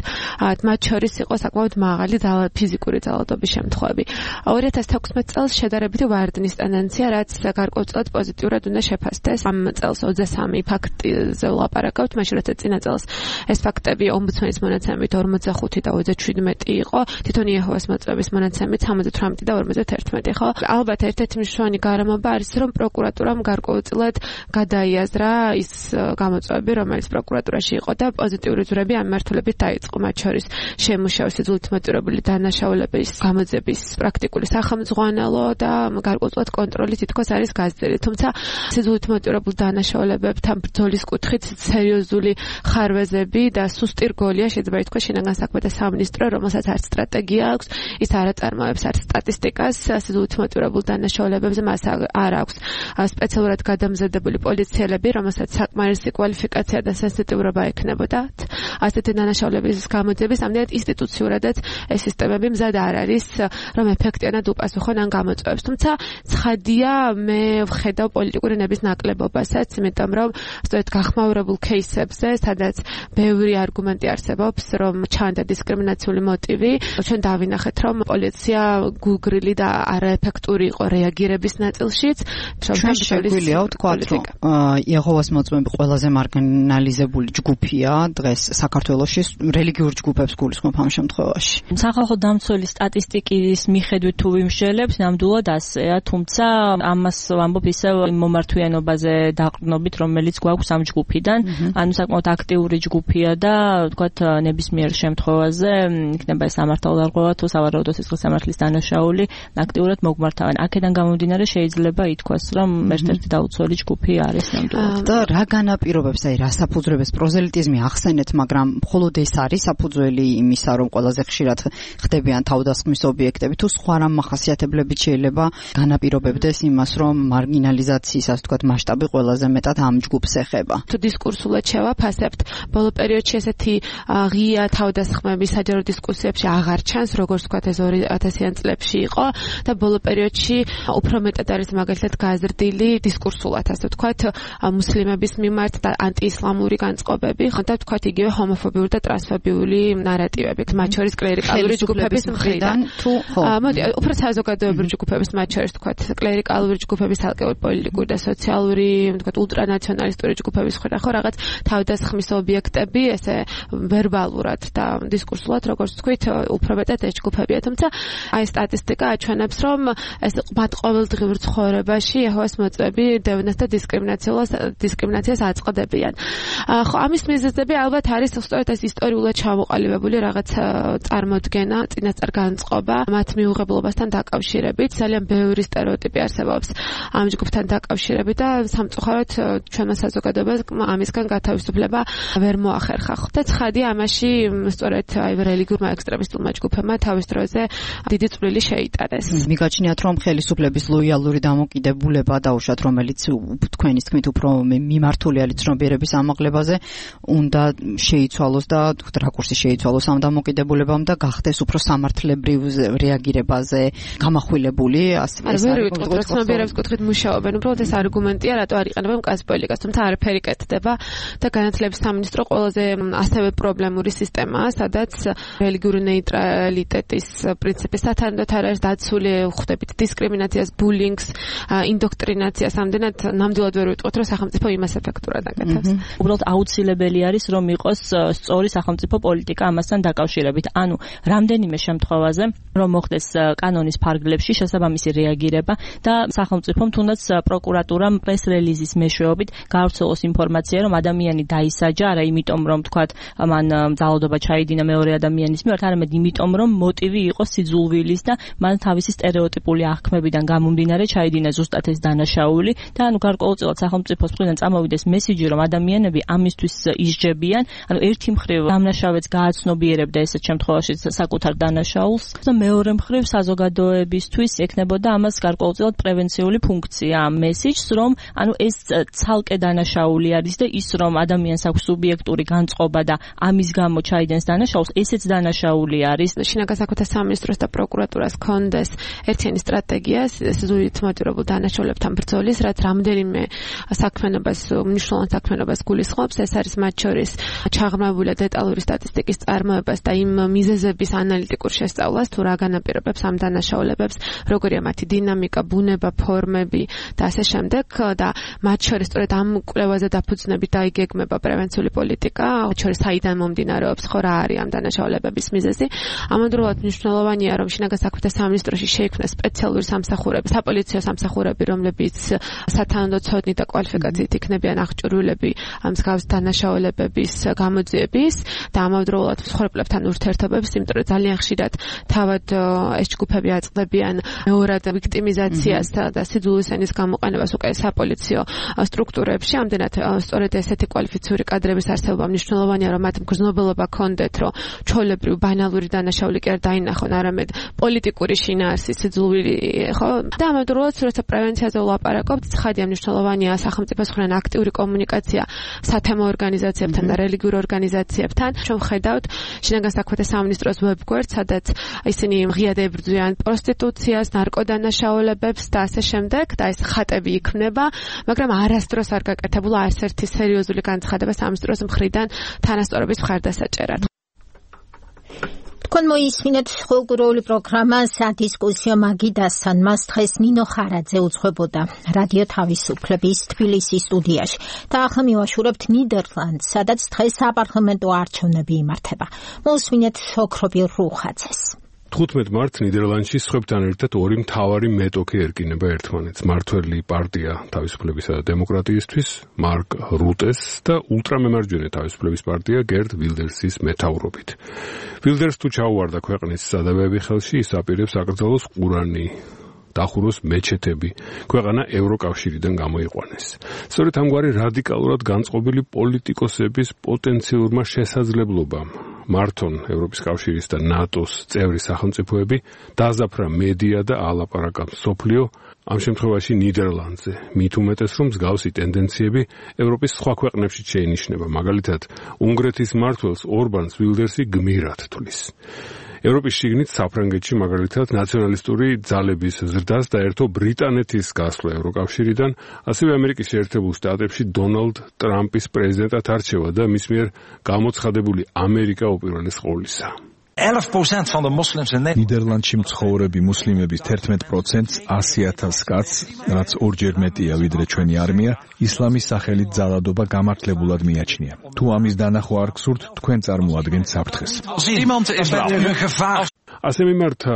მათ შორის იყო საკმაოდ მაღალი ფიზიკური ძალადობის შემთხვევები. 2016 წელს შედარებით ვარდნის ტენდენცია, რაც გარკვეულწილად პოზიტიურად უნდა შეფასდეს. ამ წელს 23 ფაქტზე ვლაპარაკავთ, მაშინ როცა წინა წელს ეს ფაქტები ომბუდსმენის მონაცემით 45 და 37 იყო, თვითონ იეჰოვას მოწმეების მონაცემით 78 და 51, ხო? ალბათ ერთ-ერთი მნიშვნელოვანი გარემოება არის, რომ პროკურატურამ გარკვეულწილად გადაიაზრა ის გამოწვევები, რომელიც პროკურატურაში იყო და პოზიტიური ძვრები ამ მმართველებით დაიწყო, მათ შორის შემუშავა სიძულვილით მოტივირებული დანაშაულების გამოძიების პრაქტიკული სახელმძღვანელო და გარკვეულწილად კონტროლი თითქოს არის გაზრდილი. თუმცა სიძულვილით მოტივირებულ დანაშაულებებთან ბრძოლის კუთხით სერიოზული ხარვეზები და სუსტი რგოლია შეიძლება ითქვას შინაგან საქმეთა სამინისტრო, რომელსაც არც სტრატეგია აქვს, ის არ აწარმოებს არც სტატისტიკას სიძულვილით მოტივირებულ დანაშაულებებზე, მას არ აქვს სპეციალურად გადამზადებული პოლიციელები, რომელსაც საკმარისი კვალიფიკაცია და სენსიტიურობა ექნებოდათ. ასეთი დანაშაულების გამოძიების ამდენად ინსტიტუციურადაც ეს სისტემები მზად არ არის, რომ ეფექტიანად უპასუხონ ამ გამოწვევებს. თუმცა ცხადია, მე ვხედავ პოლიტიკური ნების ნაკლებობასაც, იმიტომ რომ სწორედ გახმაურებულ кейსებზე, სადაც ბევრი არგუმენტი არსებობს, რომ ჩანდა დისკრიმინაციული მოტივი, ჩვენ დავინახეთ, რომ პოლიცია გულგრილი და არაეფექტური იყო რეაგირების ნაწილშიც. ჩვენ შეგვიძლია ვთქვათ, რომ იეჰოვას მოწმეები ყველაზე მარგინალიზებული ჯგუფია დღეს საქართველოში, რელიგიურ ჯგუფებს გულისხმობ ამ შემთხვევაში. სახალხო დამცველის სტატისტიკის მიხედვით თუ ვიმშელებთ, ნამდვილად ასეა, თუმცა ამას ვამბობ ისევ მომართვიანობაზე დაყრდნობით, რომელიც გვაქვს ამ ჯგუფიდან, ანუ საკმაოდ აქტიური ჯგუფია და ვთქვათ ნებისმიერ შემთხვევაზე იქნება ეს სამართალდარღვევა თუ სავარაუდო სისხლის სამართლის დანაშაული აქტიურად მოგმართავენ. აქედან გამომდინარე შეიძლება ითქვას, რომ ერთ-ერთი დაუცველი ჯგუფი არის ნამდვილად. და რა განაპირობებს, აი რა საფუძვლებს პროზელიტიზმი ახსენეთ, მაგრამ მხოლოდ ეს არის საფუძველი იმისა, რომ ყველაზე ხშირად ხდებიან თავდასხმის ობიექტები, თუ სხვა რამ მახასიათებლებით შეიძლება განაპირობებდეს იმას, რომ მარგინალიზაციის, ასე ვთქვათ, მასშტაბი ყველაზე მეტად ამ ჯგუფს ეხება. თუ დისკურსულად შევაფასებთ, ბოლო პერიოდში ესეთი ღია თავდასხმები საჯარო დისკუსიებში აღარ ჩანს, როგორც ვთქვათ ეს 2000-იან წლებში იყო და ბოლო პერიოდში უფრო მეტად არის მაგალითად გაზრდილი დისკურსულად, ასე ვთქვათ, მუსლიმების მიმართ და ანტიისლამური განწყობები, და ვთქვათ იგივე ჰომოფობიური და ტრანსფობიური ნარატივები, მათ შორის კლერიკალური ჯგუფების მხრიდან თუ მოდი, უფრო საზოგადოებრივი ჯგუფების, მათ შორის ვთქვათ, კლერიკალური ჯგუფების, ალკეური პოლიტიკური და სოციალური, ვთქვათ, ულტრანაციონალისტური ჯგუფების მხრიდან, ხო, რაღაც თავდასხმის ობიექტები, ესე ვერბალურად და დისკურსულად, როგორც ვთქვით, უფრო მეტად ეს ჯგუფებია, თუმცა აი სტატისტიკა აჩვენებს, რომ ეს მათ ყოველდღიურ ცხოვრებაში იეჰოვას მოწმეები დევნას და დისკრიმინაციას აწყდებიან. ხო, ამის მიზეზები ალბათ არის სწორედ ეს ისტორიულად ჩამოყალიბებული რაღაც წარმოდგენა, წინასწარ განწყობა მათ მიუღებლობასთან დაკავშირებით, ძალიან ბევრი სტერეოტიპი არსებობს ამ ჯგუფთან დაკავშირებით და სამწუხაროდ ჩვენმა საზოგადოებამ ამისგან გათავისუფლება ვერ მოახერხა. და ცხადია ამაში სწორედ რელიგიურმა ექსტრემისტულმა ჯგუფებმა თავის დროზე დიდი წვლილი შეიტანეს. მიგაჩნიათ, რომ ხელისუფლების ლოიალური დამოკიდებულება დაუშვათ, რომელიც თქვენის თქმით უფრო მიმართულია ლიցნობიერების ამაღლებაზე, უნდა შეიცვალოს და რაკურსი შეიცვალოს ამ დამოკიდებულებამ და გახდეს უფრო სამართლებრივ რეაგირებაზე გამახვილებული, ასე ლიցნობიერების კუთხით მუშაობენ. უბრალოდ ეს არგუმენტია, რატო არ იყენებენ კაზ-პოლიტიკას, თუმცა არაფერი კეთდება და განათლების სამინისტრო ყველაზე ასევე პრობლემური სისტემაა, სადაც რელიგიური ნეიტრალიტეტის პრინციპი სათანადოდ არ არის დაცული, ხვდებით დისკრიმინაციას, ბულინგს, ინდოქტრინაციას, ამდენად ნამდვილად ვერ ვიტყვით, რომ სახელმწიფო იმას ეფექტურად აკეთებს. უბრალოდ აუცილებელი არის, რომ იყოს სწორი სახელმწიფო პოლიტიკა ამასთან დაკავშირებით. ანუ რამდენიმე შემთხვევაზე, რომ მოხდეს კანონის ფარგლებში შესაბამისი რეაგირება და სახელმწიფომ თუნდაც პროკურატურამ პრეს-რელიზის მეშვეობით გაავრცელოს ინფორმაცია, რომ ადამიანი დაისაჯა, არა იმიტომ, რომ თქვათ მან ძალადობა ჩაიდინა მეორე ადამიანის მიმართ, არამედ იმიტომ, რომ მოტივი იყო სიძულვილის და მან თავისი სტერეოტიპული აღქმებიდან გამომდინარე ჩაიდინა ზუსტად ეს დანაშაული და ანუ გარკვეულწილად სახელმწიფოს მხრიდან წამოვიდეს მესიჯი, რომ ადამიანები ამისთვის ისჯებიან, ანუ ერთი მხრივ დამნაშავეც გააცნობიერებდა ესეთ შემთხვევაში საკუთარ დანაშაულს და მეორე მხრივ საზოგადოებისთვის ექნებოდა ამას გარკვეულწილად პრევენციული ფუნქცია ამ მესიჯს, რომ ანუ ეს ცალკე დანაშაული არის და ის რომ ადამიანს აქვს სუბიექტური განწყობა და ამის გამო ჩაიდენს დანაშაულს, ესეც დანაშაული არის. შინაგან საქმეთა სამინისტროს და პროკურატურას ჰქონდეს ერთიანი სტრატეგია სიზუსტით მოტივირებულ დანაშაულებთან ბრძოლის, რაც რამდენიმე საქმიანობას, მნიშვნელოვან საქმიანობას გულისხმობს. ეს არის მათ შორის ჩაღრმავებული დეტალური სტატისტიკის წარმოებას და იმ მიზეზების ანალიტიკურ შესწავლას, თუ რა განაპირობებს ამ დანაშაულებებს, როგორია მათი დინამიკა, ბუნება, ფორმები და ასე შემდეგ და მათ შორის სწორედ ამ კვლევაზე დაფუძნებით დაიგეგმება პრევენციული პოლიტიკა, შორის საიდან მომდინარეობს, ხო რა არის ამ დანაშაულებების მიზეზი. ამავდროულად მნიშვნელოვანია, რომ შინაგან საქმეთა სამინისტროში შეიქმნას სპეციალური სამსახურები, საპოლიციო სამსახურები, რომლებიც სათანადო ცოდნი და კვალიფიკაციით იქნებიან აღჭურვილები ამ მსგავს დანაშაულებების გამოძიების და ამავდროულად მსხვერპლებთან ურთიერთობების, იმიტომ რომ ძალიან ხშირად თავად ეს ჯგუფები აწყდებიან მეორად ვიქტიმიზაციას და სიძულვის ენის გამოყენებას უკვე საპოლიციო სტრუქტურებში. ამდენად სწორედ ესეთი კვალიფიციური კადრების არსებობა მნიშვნელოვანია, რომ მათ მგრძნობელობა ჰქონდეთ, რომ ჩვეულებრივ ბანალური დანაშაული კი არ დაინახონ, არამედ პოლიტიკური შინაარსი, სიძულვილი, ხო? და ამავდროულად როცა პრევენციაზე ვლაპარაკობთ, ცხადია მნიშვნელოვანია სახელმწიფოს მხრიდან აქტიური კომუნიკაცია სათემო ორგანიზაციებთან და რელიგიურ ორგანიზაციებთან. ჩვენ ვხედავთ შინაგან საქმეთა სამინისტროს ვებგვერდს, სადაც ისინი ღიად ებრძვიან პროსტიტუციას, ნარკოდანაშაულებებს და ასე შემდეგ და ეს ხატები იქმნება, მაგრამ არასდროს არ გაკეთებულა არც ერთი სერიოზული განცხადება სამინისტროს მხრიდან თანასწორობის მხარდასაჭერად. თქვენ მოისმინეთ კულტურული პროგრამა სადისკუსიო მაგიდასთან. მას დღეს ნინო ხარაძე უძღვებოდა რადიო თავისუფლების თბილისის სტუდიაში და ახლა მივაშურებთ ნიდერლანდს, სადაც დღეს საპარლამენტო არჩევნები იმართება. მოусმინეთ ოქრობილ რუხაძეს. 15 მარტს ნიდერლანდში სხვებთან ერთად ორი მთავარი მეტოქი ერკინება ერთმანეთს. მართველი პარტია თავისუფლებისა და დემოკრატიისთვის მარკ რუტეს და ულტრამემარჯვენე თავისუფლების პარტია გერტ ვილდერსის მეთაურობით. ვილდერს თუ ჩაუვარდა ქვეყნის სადავეები ხელში, ის აპირებს აკრძალოს ყურანი, დახუროს მეჩეთები, ქვეყანა ევროკავშირიდან გამოიყვანეს. სწორედ ამგვარი რადიკალურად განწყობილი პოლიტიკოსების პოტენციურმა შესაძლებლობამ მართონ ევროპის კავშირის და ნატოს წევრი სახელმწიფოები დააზაფრა მედია და ალაპარაკა მსოფლიო, ამ შემთხვევაში ნიდერლანდზე. მით უმეტეს, რომ მსგავსი ტენდენციები ევროპის სხვა ქვეყნებში შეინიშნება. მაგალითად, უნგრეთის მმართველს ორბანს ვილდერსი გმირად თვლის. ევროპის შიგნით საფრანგეთში მაგალითად ნაციონალისტური ძალების ზრდას დაერთო ბრიტანეთის გასვლა ევროკავშირიდან, ასევე ამერიკის შეერთებულ შტატებში დონალდ ტრამპის პრეზიდენტად არჩევა და მის მიერ გამოცხადებული ამერიკა უპირველეს ყოვლისა. 11% van de moslims in Nederland. ნიდერლანდში მცხოვრები მუსლიმების 11%-ს 100,000 კაცს, რაც ორჯერ მეტია ვიდრე ჩვენი არმია, ისლამის სახელით ძალადობა გამართლებულად მიაჩნია. თუ ამის დანახვა არ გსურთ, თქვენ წარმოადგენთ საფრთხეს. ასე მიმართა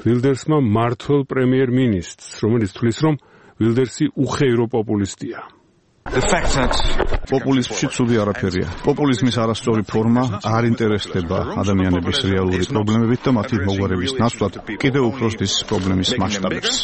ვილდერსმა მმართველ პრემიერ-მინისტრს, რომელიც თვლის, რომ ვილდერსი უხეირო პოპულისტია. პოპულიზმში ცუდი არაფერია. პოპულიზმის არასწორი ფორმა არ ინტერესდება ადამიანების რეალური პრობლემებით და მათი მოგვარების ნაცვლად კიდევ უფრო ზრდის პრობლემის მასშტაბებს.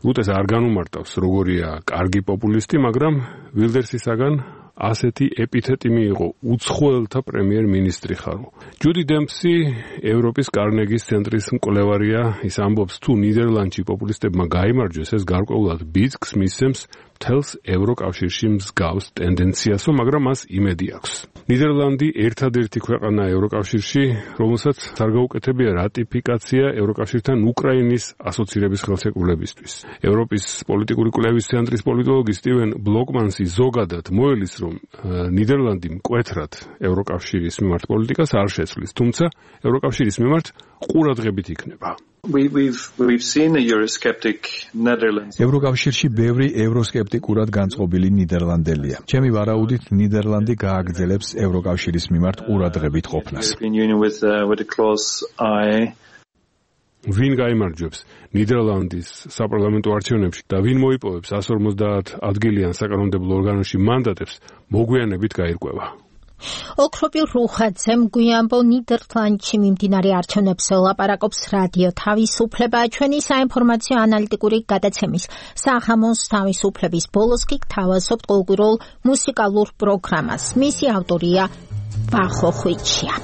რუტეს არ განუმარტავს, როგორია კარგი პოპულისტი, მაგრამ ვილდერსისაგან ასეთი ეპითეტი მიიღო უცხოელთა პრემიერ-მინისტრი ხარო. ჯუდი დემპსი ევროპის კარნეგის ცენტრის მკვლევარია, ის ამბობს, თუ ნიდერლანდში პოპულისტებმა გაიმარჯვეს, ეს გარკვეულად ბიძგს მისცემს მთელს ევროკავშირში მსგავს ტენდენციასო, მაგრამ მას იმედი აქვს. ნიდერლანდი ერთადერთი ქვეყანაა ევროკავშირში, რომელსაც არ გაუკეთებია რატიფიკაცია ევროკავშირთან უკრაინის ასოცირების ხელშეკრულებისთვის. ევროპის პოლიტიკური კვლევის ცენტრის პოლიტოლოგი სტივენ ბლოკმანსი ზოგადად მოელის, რომ ნიდერლანდი მკვეთრად ევროკავშირის მიმართ პოლიტიკას არ შეცვლის, თუმცა ევროკავშირის მიმართ ყურადღებით იქნება. ევროკავშირში ბევრი ევროსკეპტიკურად განწყობილი ნიდერლანდელია. ჩემი ვარაუდით, ნიდერლანდი გააგრძელებს ევროკავშირის მიმართ ყურადღებით ყოფნას. ვინ გაიმარჯვებს ნიდერლანდის საპარლამენტო არჩევნებში და ვინ მოიპოვებს 150 ადგილიან საკანონმდებლო ორგანოში მანდატებს, მოგვიანებით გაირკვევა. ოქროპილ რუხაძემ გვიანბო ნიდერლანდში მიმდინარე არჩევნებზე ლაპარაკობს რადიო თავისუფლება, ჩვენი საინფორმაციო ანალიტიკური გადაცემის სახამოს თავისუფლების ბოლოს კი გთავაზობთ ყოველკვირეულ მუსიკალურ პროგრამას. მისი ავტორია ვახო ხვიჩია.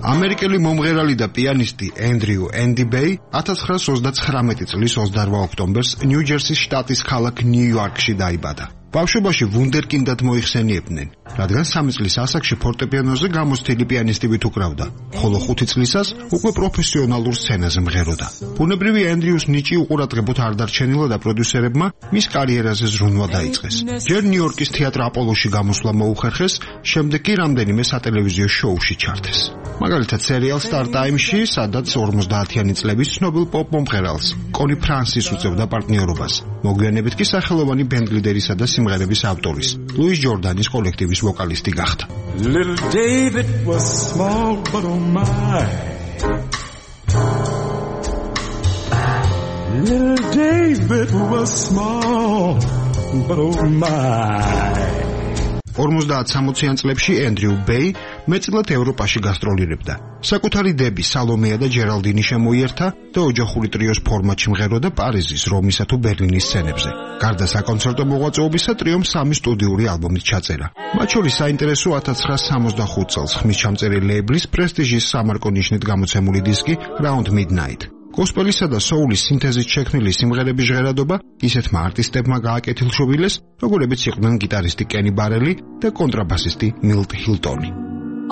ამერიკელი მომღერალი და პიანისტი ენდრიუ ენდი ბეი 1939 წლის 28 ოქტომბერს ნიუ-ჯერსის შტატის ქალაქ ნიუ-იორკში დაიბადა. ბავშვობაში ვუნდერკინდად მოიხსენიებდნენ, რადგან 3 წლის ასაკში ფორტეპიანოზე გამოცდილი პიანისტივით უკრავდა, ხოლო 5 წლისას უკვე პროფესიონალურ სცენაზე მღეროდა. ბუნებრივი ენდრიუს ნიჭი უყურადღებოდ არ დარჩენილა და პროდიუსერებმა მის კარიერაზე ზრუნვა დაიწყეს. ჯერ ნიუ-იორკის თეატრ აპოლოში გამოსვლა მოუხერხეს, შემდეგ კი რამდენიმე სატელევიზიო შოუში ჩართეს. მაგალითად სერიალ Star Time-ში, სადაც 50-იანი წლების ცნობილ პოპ მომღერალს კონი ფრანსის უწევდა პარტნიორობას. მოგვიანებით კი სახელოვანი ბენდ ლიდერისა და სიმღერების ავტორის, ლუის ჯორდანის კოლექტივის ვოკალისტი გახდა. Little David was small, but oh my. Little David was small, but oh my. 50-60-იან წლებში ენდრიუ ბეი მეტწილად ევროპაში გასტროლირებდა. საკუთარი დები სალომეა და ჯერალდინი შემოიერთა და ოჯახური ტრიოს ფორმატში მღეროდა პარიზის, რომისა თუ ბერლინის სცენებზე. გარდა საკონცერტო მოღვაწეობისა, ტრიომ 3 სტუდიური ალბომით ჩაწერა. მათ შორის საინტერესო 1965 წელს ხმის ჩამწერი ლეიბლის პრესტიჟის სამარკო ნიშნით გამოცემული დისკი Round Midnight. გოსპელისა და სოულის სინთეზით შექმნილი სიმღერების ჟღერადობა ისეთმა არტისტებმა გააკეთილშობილეს, როგორებიც იყვნენ გიტარისტი კენი ბარელი და კონტრაბასისტი მილტ ჰილტონი.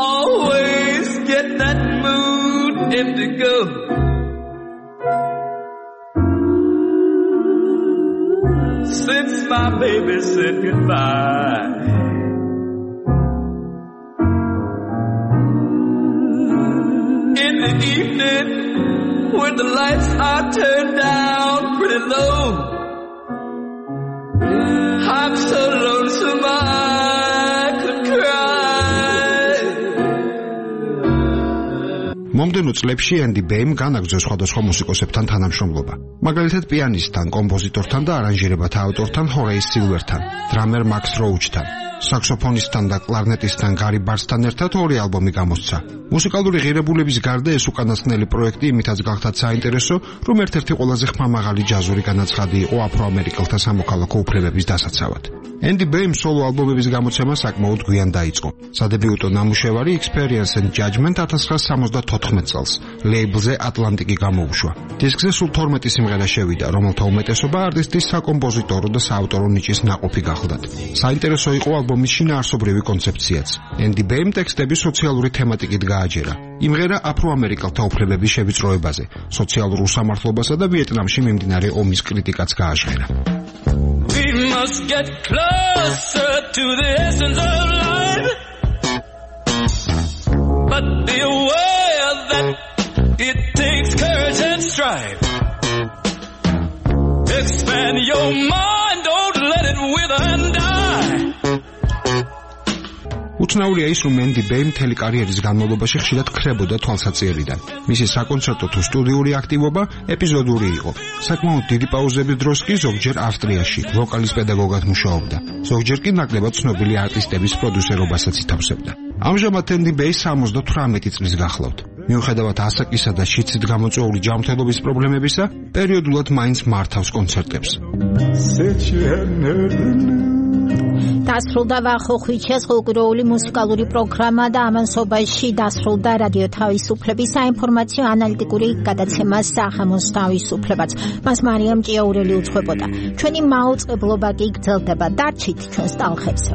Always get that mood indigo. Since my baby said goodbye. In the evening, when the lights are turned down pretty low, I'm so lonesome I could cry. მომდენო წლებში ენდი ბეიმ განაგრძო სხვადასხვა მუსიკოსებთან თანამშრომლობა. მაგალითად პიანისტთან, კომპოზიტორთან და არანჟირებათა ავტორთან ჰორეის სილვერთან, დრამერ მაქს როუჩთან, საქსოფონისტთან და კლარნეტისტთან გარი ბარსთან ერთად 2 ალბომი გამოსცა. მუსიკალური ღირებულების გარდა ეს უკანასკნელი პროექტი იმითაც გახდათ საინტერესო, რომ ერთ-ერთი ყველაზე ხმამაღალი ჯაზური განაცხადი იყო აფრო-ამერიკელთა სამოქალაქო უფლებების დასაცავად. ენდი ბეიმ სოლო ალბომების გამოცემა საკმაოდ გვიან დაიწყო. სადებიუტო ნამუშევარი Experience and Judgment 1974 წელს ლეიბლზე ატლანტიკი გამოუშვა. დისკზე სულ 12 სიმღერა შევიდა, რომელთა უმეტესობა არტისტის საკომპოზიტორო და საავტორო ნიჭის ნაყოფი გახლდათ. საინტერესო იყო ალბომის შინაარსობრივი კონცეფციაც. ენდი ბეიმ ტექსტები სოციალური თემატიკით გააჯერა. იმღერა აფრო-ამერიკელთა უფლებების შევიწროებაზე, სოციალურ უსამართლობასა და ვიეტნამში მიმდინარე ომის კრიტიკაც გააჟღერა. We must get closer to the essence of life, but be aware that it takes courage and strife. Expand your mind. უცნაურია ის, რომ მენდი ბეი მთელი კარიერის განმავლობაში ხშირად ქრებოდა თვალსაჩინარიდან. მისი საკონცერტო თუ სტუდიური აქტივობა ეპიზოდური იყო. საკმაოდ დიდი პაუზების დროს კი ზოგჯერ ავსტრიაში ვოკალის პედაგოგად მუშაობდა. ზოგჯერ კი ნაკლებად ცნობილი არტისტების პროდიუსერობასაც ითავსებდა. ამჟამად მენდი ბეი 78 წლის გახლავთ. მიუხედავად ასაკისა და შიცით გამოწვეული ჯანმრთელობის პრობლემებისა, პერიოდულად მაინც მართავს კონცერტებს. დასრულდა ვახოხვიჩეს ხალხური მუსიკალური პროგრამა და ამასობაში დასრულდა რადიო თავისუფლების საინფორმაციო ანალიტიკური გადაცემა სახამოს თავისუფლებაც. მას მარიამ ჭიაურელი უძღვებოდა. ჩვენი მაუწყებლობა კი გრძელდება. დარჩით ჩვენს ტალღებზე.